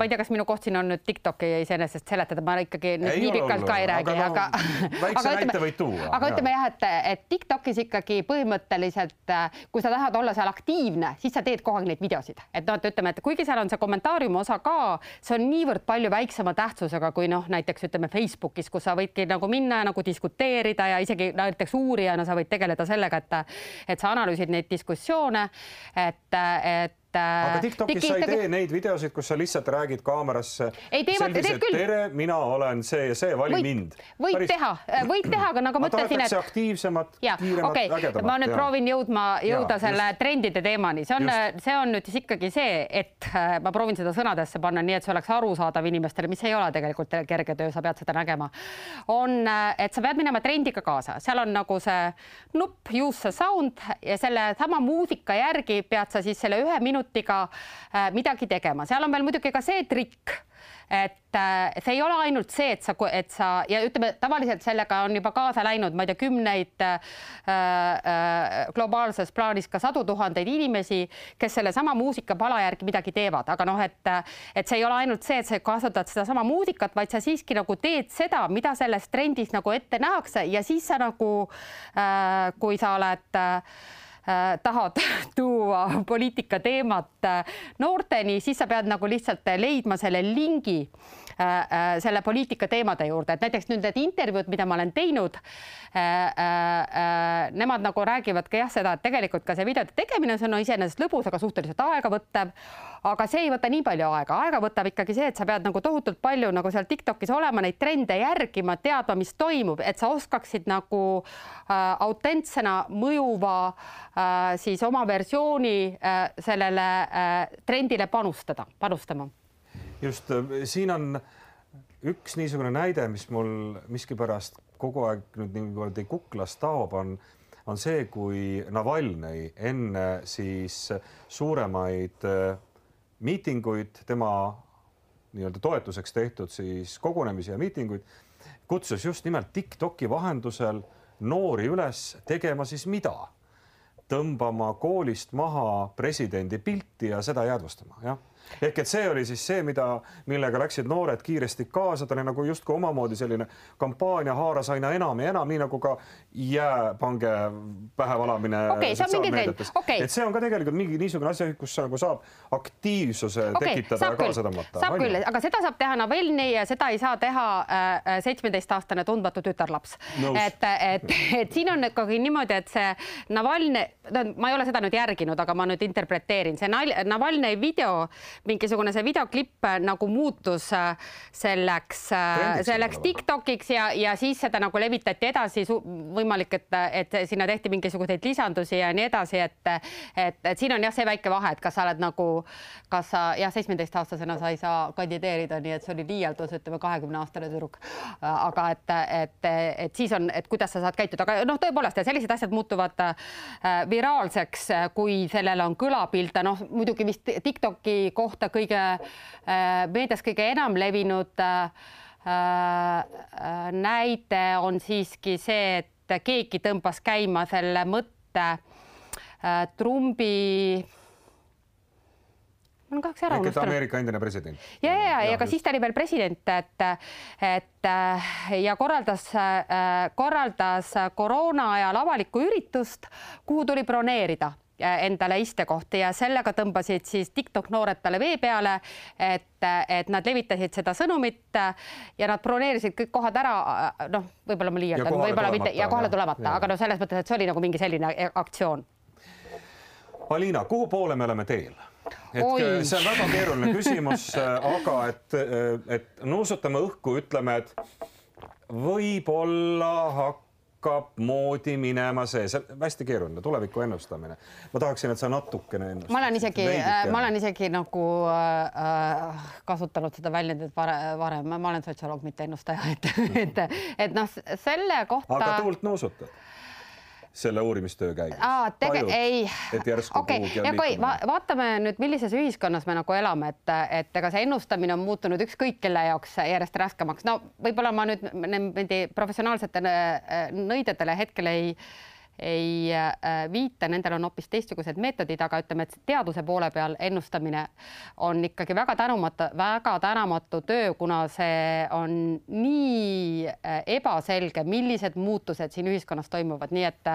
tea, kas minu koht siin on nüüd TikToki iseenesest seletada, ma ikkagi nii pikalt ka ei räägi, aga väikse näite võid tuua. Aga ütleme jah, et TikTokis ikkagi põhimõtteliselt, kui sa tahad olla seal aktiivne, siis sa teed kogu aeg neid videosid. Et ütleme, et kuigi seal on see kommentaariumi osa ka, see on niivõrd palju väiksema tähtsusega kui näiteks ütleme Facebookis, kus sa võidki nagu minna ja nagu diskuteerida ja isegi näiteks uurijana sa võid tegeleda sellega, et sa analüüsid neid diskussioone, aga TikTokis sa ei tee neid videosid, kus sa lihtsalt räägid kaamerasse sellised, tere, mina olen see ja see, vali mind. Võid teha, aga nagu mõtlesin, et aktiivsemad, kiiremat, ägedamat. Ma nüüd proovin jõuda selle trendide teemani. See on nüüd ikkagi see, et ma proovin seda sõnadesse panna nii, et see oleks arusaadav inimestele, mis ei ole tegelikult kerge töö, sa pead seda nägema. Et sa pead minema trendiga kaasa. Seal on nagu see nupp, use the sound ja selle sama muusika järgi pead sa siis selle 1 minutiga midagi tegema. Seal on veel muidugi ka see trikk, et see ei ole ainult see, et sa ja ütleme, tavaliselt sellega on juba kaasa läinud, ma ei tea, 10 globaalses plaanis ka 100 000 inimesi, kes selle sama muusikapala järgi midagi teevad. Aga et see ei ole ainult see, et sa kasutad seda sama muusikat, vaid sa siiski nagu teed seda, mida selles trendis nagu ette nähakse ja siis sa nagu, kui sa oled tahad tuua poliitika teemat noorteni, siis sa pead nagu lihtsalt leidma selle lingi selle poliitika teemade juurde. Et näiteks nüüd need intervjuud, mida ma olen teinud, nemad nagu räägivad ka seda, et tegelikult ka see videode tegemine, see on iseenesest lõbus, aga suhteliselt aega võttev. Aga see ei võta nii palju aega. Aega võtab ikkagi see, et sa pead nagu tohutult palju nagu seal TikTokis olema, neid trende järgima, teadma, mis toimub, et sa oskaksid nagu autentsena mõjuva siis oma versiooni sellele trendile panustama. Just, siin on üks niisugune näide, mis mul miskipärast kogu aeg nüüd niimoodi kuklas taob on see, kui Navalnõi enne siis suuremaid miitinguid, tema nii-öelda toetuseks tehtud siis kogunemisi ja miitinguid, kutsus just nimelt TikToki vahendusel noori üles tegema siis mida? Tõmbama koolist maha presidendi pilti ja seda jäädvustama, jah. Ehk et see oli siis see, millega läksid noored kiiresti kaasa, ta oli nagu justkui omamoodi selline kampaania haaras aina enam ja enam, nii nagu ka jääpange pähevalamine sotsiaalmeediates. Et see on ka tegelikult mingi niisugune asja, kus sa nagu saab aktiivsuse tekitada ja kaasa tõmmata. Saab küll, aga seda saab teha Navalnõi ja seda ei saa teha 17-aastane tundmatu tütarlaps. Et siin on ikkagi niimoodi, et see Navalnõi, ma ei ole seda nüüd järginud, aga ma nüüd interpreteerin, see Navalnõi video mingisugune see videoklipp nagu muutus selleks TikTokiks ja siis seda nagu levitati edasi, võimalik, et sinna tehti mingisuguseid lisandusi ja nii edasi, et siin on jah see väike vahe, et kas sa oled nagu, kas sa jah, 17-aastasena sa ei saa kandideerida, nii et see oli liialdus, ütleme 20-aastane tüdruk. Aga et siis on, et kuidas sa saad käituda, aga noh, tõepoolest ja sellised asjad muutuvad viraalseks, kui sellel on kõlapilt, noh muidugi vist TikToki kohta meedias kõige enam levinud näide on siiski see, et keegi tõmbas käima selle mõtte Trumpi on kahjuks ära unustanud. Ameerika endine president. Ja ka siis ta oli veel president, ja korraldas koroona ajal avalikku üritust, kuhu tuli broneerida endale istekohti ja sellega tõmbasid siis TikTok noored talle vee peale, et nad levitasid seda sõnumit ja nad broneerisid kõik kohad ära, noh, võib-olla ma liialdan, võib-olla mitte ja kohale tulemata, aga no selles mõttes, et see oli nagu mingi selline aktsioon. Alina, kuhu poole me oleme teel? Et see on väga keeruline küsimus, aga et nuusutame õhku, ütleme, et võib-olla hakkab moodi minema see on hästi keeruline, tuleviku ennustamine. Ma tahaksin, et sa natukene ennustamine. Ma olen isegi nagu kasutanud seda väljendit varem. Ma olen sotsioloog, mitte ennustaja, et noh, selle kohta... Aga tuult nuusutad? Selle uurimistöö käigus. Et järsku kuhugi on liikumine. Vaatame nüüd, millises ühiskonnas me nagu elame, et ega see ennustamine on muutunud ükskõik kelle jaoks järjest raskemaks. No võib-olla ma nüüd professionaalsete nõidetele hetkel ei viita, nendel on hoopis teistsugused meetodid, aga ütleme, et teaduse poole peal ennustamine on ikkagi väga tänamatu töö, kuna see on nii ebaselge, millised muutused siin ühiskonnas toimuvad, nii et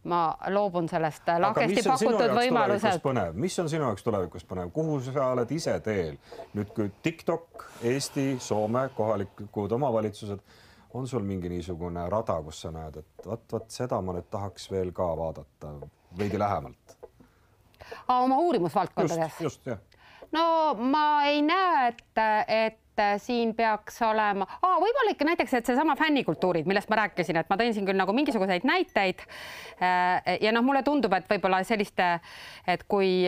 ma loobun sellest lahkesti pakutud võimalused. Mis on sinu jaoks tulevikus põnev? Kuhu sa oled ise teel? Nüüd kui TikTok, Eesti, Soome, kohalikud omavalitsused, on sul mingi niisugune rada, kus sa näed, et võt, seda ma nüüd tahaks veel ka vaadata veidi lähemalt? Oma uurimusvaldkondades? Just, jah. No ma ei näe, et siin peaks olema, võib-olla ikka näiteks, et seesama fännikultuurid, millest ma rääkisin, et ma tõin siin küll nagu mingisuguseid näiteid ja noh, mulle tundub, et võib-olla selliste, et kui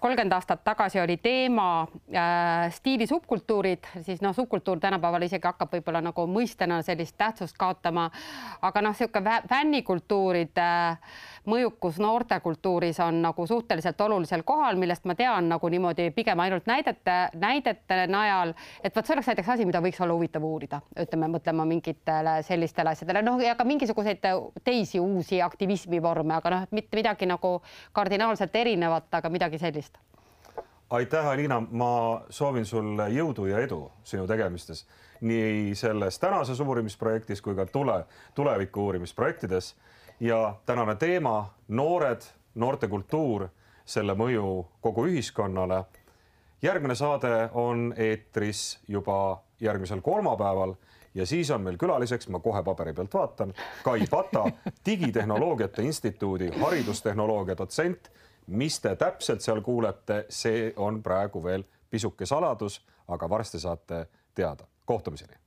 30 aastat tagasi oli teema stiili subkultuurid, siis noh, subkultuur tänapäeval isegi hakkab võib-olla nagu mõistena sellist tähtsust kaotama, aga noh, selline fännikultuuride mõjukus noortekultuuris on nagu suhteliselt olulisel kohal, millest ma tean nagu niimoodi pigem ainult näidete najal, et see oleks näiteks asi, mida võiks olla huvitav uurida, ütleme, mõtlema mingitele sellistele asjadele, noh ja ka mingisuguseid teisi uusi aktivismivorme, aga noh, mitte midagi nagu kardinaalselt erinevat, aga midagi sellist. Aitäh, Alina, ma soovin sulle jõudu ja edu sinu tegemistes, nii selles tänases uurimisprojektis kui ka tuleviku uurimisprojektides ja tänane teema, noored, noortekultuur, selle mõju kogu ühiskonnale. Järgmine saade on eetris juba järgmisel kolmapäeval ja siis on meil külaliseks, ma kohe paberi pealt vaatan, Kai Pata, Digitehnoloogiate Instituudi haridustehnoloogia dotsent. Mis te täpselt seal kuulete, see on praegu veel pisuke saladus, aga varsti saate teada. Kohtumiseni!